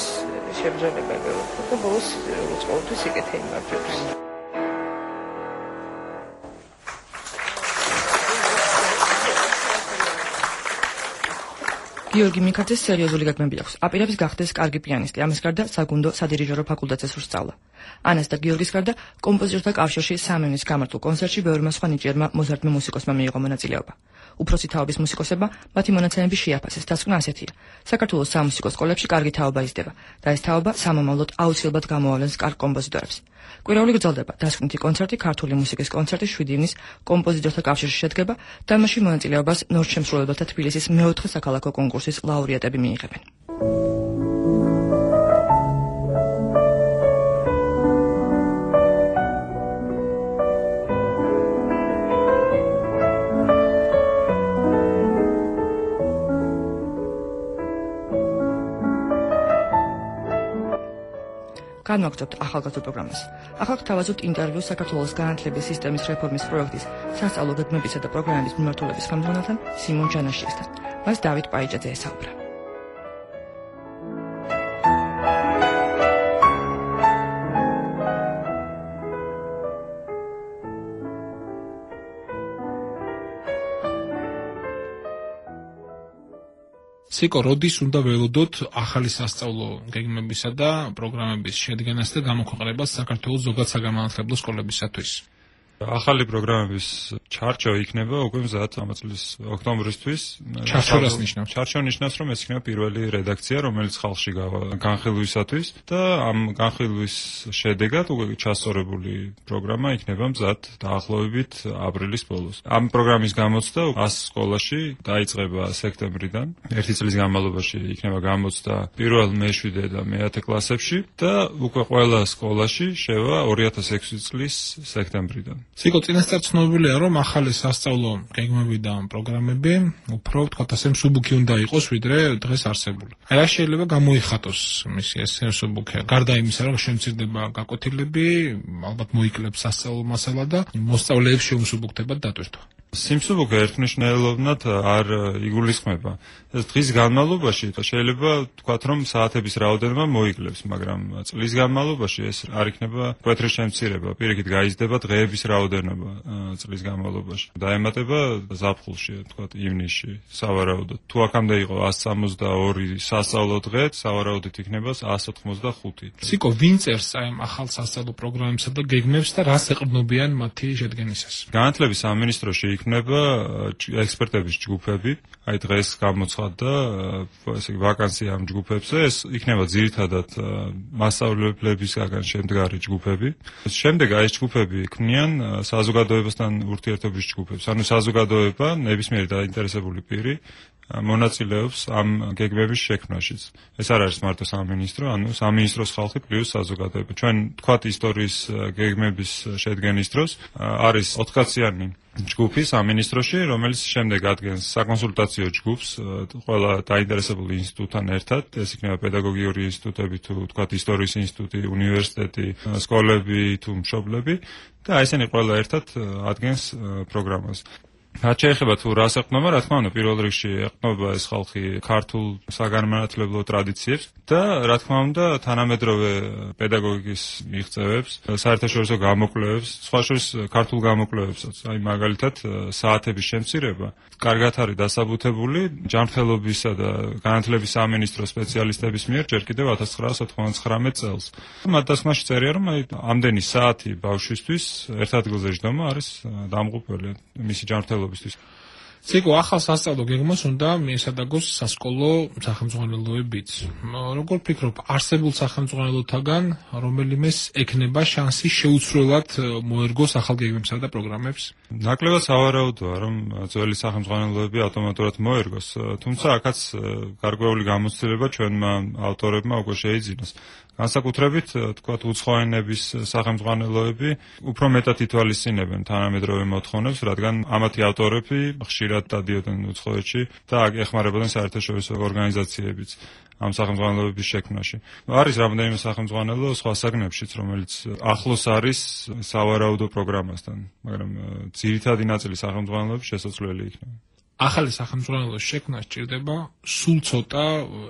შებრძოლება გეუბნები და ბოლოს ყოველთვის იკეთე იმართებს. გიორგი მიქაძეს სერიოზული გეგმები აქვს. აპირებს გახდეს კარგი პიანისტი. ამის გარდა საგუნდო სადირიჟორო ფაკულტეტზე სურს სწავლა. ანას და გიორგის გარდა კომპოზიტორთა კავშირში სამივნის გამართულ კონცერტში ბევრმა სხვა ნიჭიერმა მოზარდმა მუსიკოსმა მიიღო მონაწილეობა. უფროსი თაობის მუსიკოსებმა მათი მონაცემები შეაფასეს. დასკვნა ასეთია: საქართველოს სამუსიკო სკოლებში კარგი თაობა იზრდება და ეს თაობა სამომავლოდ აუცილებლად გამოავლენს კარგ კომპოზიტორებს. კვირეული გრძელდება დასკვნითი კონცერტი, ქართული მუსიკის კონცერტი შვიდი ივნის კომპოზიტორთა კავშირში შედგება და მასში მონაწილეობას ნორჩ შემსრულებელთა თბილისის მეოთხე საქალაქო კონკურსის ლაურეატები მიიღებენ. განვაგრძობთ ახალგაზრდა პროგრამას. ახლა გთავაზობთ ინტერვიუ საქართველოს განათლების სისტემის რეფორმის პროექტის სასწავლო გეგმებისა და პროგრამების მიმართულების ხელმძღვანელთან სიმონ ჯანაშიესთან. მას დავით პაიჭაძე ესაუბრა. სიკო, როდის უნდა ველოდოთ ახალი სასწავლო გეგმებისა და პროგრამების შედგენას და გამოქვეყნებას საქართველოს ზოგად საგანმანათლებლო სკოლებისათვის? ახალი პროგრამების ჩარჩო იქნება უკვე მზად ამ წლის ოქტომბრისთვის. ჩარჩოს ნიშნავს. ჩარჩო ნიშნავს, რომ ეს იქნება პირველი რედაქცია, რომელიც ხალხში განხილვისათვის და ამ განხილვის შედეგად უკვე ჩასწორებული პროგრამა იქნება მზად დაახლოებით აპრილის ბოლოს. ამ პროგრამის გამოცდა ას სკოლაში დაიწყება სექტემბრიდან. ერთი წლის განმავლობაში იქნება გამოცდა პირველ, მეშვიდე და მეათე კლასებში და უკვე ყველა სკოლაში შევა ორი ათას ექვსი წლის სექტემბრიდან. სიკო, წინასწარ ცნობილია, რომ ახალი სასწავლო გეგმები და პროგრამები უფრო ვთქვათ ასე მსუბუქი უნდა იყოს, ვიდრე დღეს არსებული. აი რა შეიძლება გამოიხატოს მისი ეს მსუბუქი? გარდა იმისა, რომ შემცირდება გაკვეთილები, ალბათ მოიკლებს სასწავლო მასალა და მოსწავლეებს შეუმსუბუქდებათ დატვირთვა. სიმსუბუქე ერთმნიშვნელოვნად არ იგულისხმება. ეს დღის განმავლობაში შეიძლება თქვათ, რომ საათების რაოდენობა მოიკლებს, მაგრამ წლის განმავლობაში ეს არ იქნება მკვეთრი შემცირება. პირიქით გაიზრდება დღეების რაოდენობა წლის განმავლობაში. დაემატება ზაფხულში, თქვათ, ივნისში, სავარაუდოდ. თუ აქამდე იყო εκατს სამოცდაორი სასწავლო დღე, სავარაუდოდ იქნება εκατს ოთხმოცდახუთი. სიკო, ვინ წერს აი ამ ახალ სასწავლო პროგრამებსა და გეგმებს და რას ეყრდნობიან მათი შედგენისას? განათლების სამინისტროში იქნება ექსპერტების ჯგუფები, აი დღეს გამოცხადდა ესე იგი ვაკანსია ამ ჯგუფებზე, ეს იქნება ძირითადად მასწავლებლებისგან შემდგარი ჯგუფები. შემდეგ აი ეს ჯგუფები ქმნიან საზოგადოებასთან ურთიერთობის ჯგუფებს. ანუ საზოგადოება, ნებისმიერი დაინტერესებული პირი მონაწილეობს ამ გეგმების შექმნაშიც. ეს არ არის მარტო სამინისტრო, ანუ სამინისტროს ხალხი პლუს საზოგადოება. ჩვენ თქვათ ისტორიის გეგმების შედგენის დროს არის ოთხკაციანი ჯგუფი სამინისტროში, რომელიც შემდეგ ადგენს საკონსულტაციო ჯგუფს ყველა დაინტერესებული ინსტიტუტთან ერთად. ეს იქნება პედაგოგიური ინსტიტუტები თუ თქვათ ისტორიის ინსტიტუტი, უნივერსიტეტი, სკოლები თუ მშობლები და აი ესენი ყველა ერთად ადგენს პროგრამას. რაც შეეხება თუ რას ეყრდნობა, რა თქმა უნდა, პირველ რიგში ეყრდნობა ეს ხალხი ქართულ საგანმანათლებლო ტრადიციებს და რა თქმა უნდა, თანამედროვე პედაგოგიკის მიღწევებს, საერთაშორისო გამოკვლევებს, სხვა შორის ქართულ გამოკვლევებსაც. აი მაგალითად, საათების შემცირება კარგად არის დასაბუთებული ჯანმრთელობისა და განათლების სამინისტროს სპეციალისტების მიერ ჯერ კიდევ ათას ცხრაასა ოცდათხმეტ წელს. მათ დასკვნაში წერია, რომ აი ამდენი საათი ბავშვისთვის ერთ ადგილზე ჯდომა არის დამღუპველი მისი ჯანმრთელობის. ციკო, ახალ სასწავლო გეგმას უნდა მიესადაგოს სასკოლო სახელმძღვანელოებიც. როგორ ფიქრობ, არსებულ სახელმძღვანელოთაგან რომელიმეს ექნება შანსი შეუცვლელად მოერგოს ახალ გეგმებსა და პროგრამებს? ნაკლებად სავარაუდოა, რომ ძველი სახელმძღვანელოები ავტომატურად მოერგოს, თუმცა აქაც გარკვეული გამოცდილება ჩვენმა ავტორებმა უკვე შეიძინოს. განსაკუთრებით, თქვათ, უცხოენების სახელმძღვანელოები უფრო მეტად ითვალისწინებენ თანამედროვე მოთხოვნებს, რადგან ამათი ავტორები ხშირად დადიოდნენ უცხოეთში და ეხმარებოდნენ საერთაშორისო ორგანიზაციებიც ამ სახელმძღვანელოების შექმნაში. არის რამდენიმე სახელმძღვანელო სხვა საგნებშიც, რომელიც ახლოს არის სავარაუდო პროგრამასთან, მაგრამ ძირითადი ნაწილი სახელმძღვანელოების შესაძლებელი იქნება. ახალი სახელმძღვანელოს შექმნა სჭირდება სულ ცოტა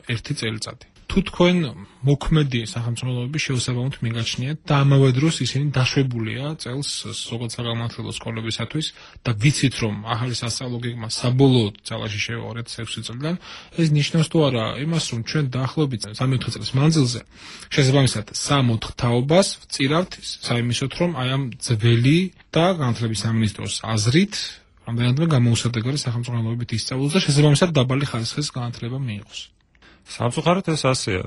ერთი წელიწადი. თუ თქვენ მოქმედი სახელმძღვანელოები შეუსაბამოდ მიგაჩნიათ და ამავე დროს ისინი დაშვებულია წელს ზოგადად საგანმანათლებლო სკოლებისათვის და ვიცით რომ ახალი სასწავლო გეგმა საბოლოოდ ძალაში შევა ორი ათას ექვსი წლიდან, ეს ნიშნავს თუ არა იმას, რომ ჩვენ დაახლოებით სამი-ოთხი წლის მანძილზე შესაბამისად სამ ოთხ თაობას ვწირავთ საიმისოთ, რომ აი ამ ძველი და განათლების სამინისტროს აზრით რამდენადმე გამოუსადეგარი სახელმძღვანელოებით ისწავლოს და შესაბამისად დაბალი ხარისხის განათლება მიიღოს. სამწუხაროდ ეს ასეა.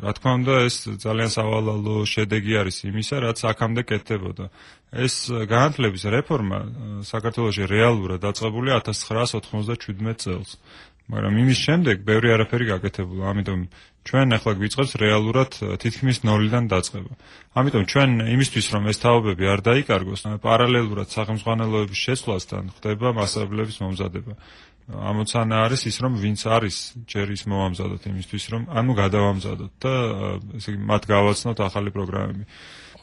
რა თქმა უნდა, ეს ძალიან სავალალო შედეგი არის იმისა, რაც აქამდე კეთდებოდა. ეს განათლების რეფორმა საქართველოში რეალურად დაწყებულია ათას ცხრაასა ოცდაშვიდმეტ წელს. მაგრამ იმის შემდეგ ბევრი არაფერი გაკეთებულა, ამიტომ ჩვენ ახლა გვიწყებს რეალურად თითქმის ნოლიდან დაწყება. ამიტომ ჩვენ იმისთვის, რომ ეს თაობები არ დაიკარგოს, პარალელურად სახელმძღვანელოების შეცვლასთან ხდება მასწავლებლების მომზადება. ამოცანა არის ის, რომ ვინც არის ჯერ ის მოვამზადოთ იმისთვის, რომ ანუ გადავამზადოთ და ესე იგი მათ გავაცნოთ ახალი პროგრამები.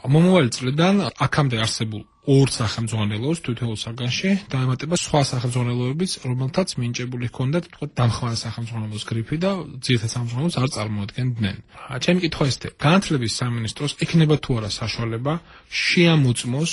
მომავალი წლიდან აქამდე არსებულ ორ სახელმძღვანელოს თითოეულ საგანში დაემატება სხვა სახელმძღვანელოებიც, რომელთაც მინიჭებული ჰქონდათ თქვა დამხმარე სახელმძღვანელოს გრიფი და ძირითად სახელმძღვანელოს არ წარმოადგენდნენ. ჩემი კითხვა ესეთი, განათლების სამინისტროს ექნება თუ არა საშუალება შეამოწმოს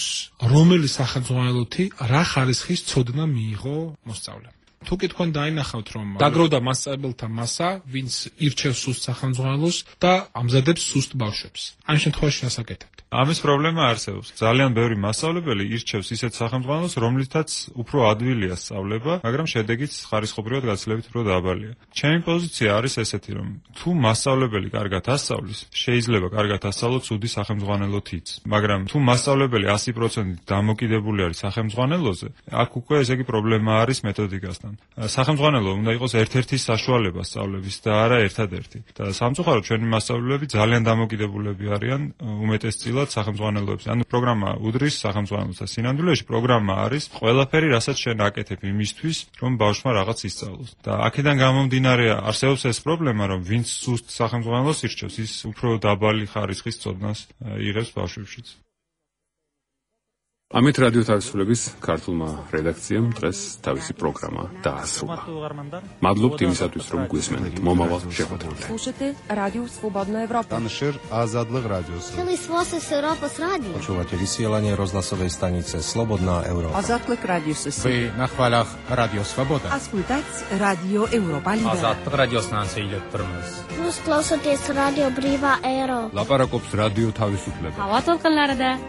რომელი სახელმძღვანელოთი რა ხარისხის ცოდნა მიიღო მოსწავლემ. თუ კი თქვენ დაინახავთ, რომ დაგროვდა მასწავლებელთა მასა, ვინც ირჩევს სუსტ სახელმძღვანელოს და ამზადებს სუსტ ბავშვებს. ამ შემთხვევაში რას აკეთებთ? ამის პრობლემა არსებობს. ძალიან ბევრი მასწავლებელი ირჩევს ისეთ სახელმძღვანელოს, რომლითაც უფრო ადვილია სწავლება, მაგრამ შედეგიც ხარისხობრივად გაცილებით უფრო დაბალია. ჩემი პოზიცია არის ესეთი, რომ თუ მასწავლებელი კარგად ასწავლის, შეიძლება კარგად ასწავლოს ცუდი სახელმძღვანელოთიც. მაგრამ თუ მასწავლებელი ასი პროცენტით დამოკიდებული არის სახელმძღვანელოზე, აქ უკვე ესე იგი პრობლემა არის მეთოდიკასთან. სახელმძღვანელო უნდა იყოს ერთ-ერთი საშუალება სწავლების და არა ერთადერთი. და სამწუხაროდ ჩვენი მასწავლებლები ძალიან დამოკიდებულები არიან უმეტესწილად სახელმძღვანელოებს. ანუ პროგრამა უდრის სახელმძღვანელოს და სინამდვილეში პროგრამა არის ყველაფერი, რასაც შენ აკეთებ იმისთვის, რომ ბავშვმა რაღაც ისწავლოს. და აქედან გამომდინარე არსებობს ეს პრობლემა, რომ ვინც სუსტ სახელმძღვანელოს ირჩევს, ის უფრო დაბალი ხარისხის ცოდნას იღებს ბავშვებშიც. ამით რადიო თავისუფლების ქართულმა რედაქციამ დღეს თავისი პროგრამა დაასრულა. მადლობთ იმისათვის, რომ გვისმენთ მომავალ შეხვედრამდე. Слушайте Радио Свободная Европа. Таншер Азадлых радио. Телесвосы Европа с радио. Почувате сиелание rozhlasovej stanice Slobodná Európa. Азатлых радио сеси. Вы на хвалях Радио Свобода. Ascultați Radio Europa Liberă. Азатлых радиостанциile Prmz. Jūs klausāties Radio Brīvā Eiropa. Ლაპარაკობს რადიო თავისუფლება. Hava tolqinlarida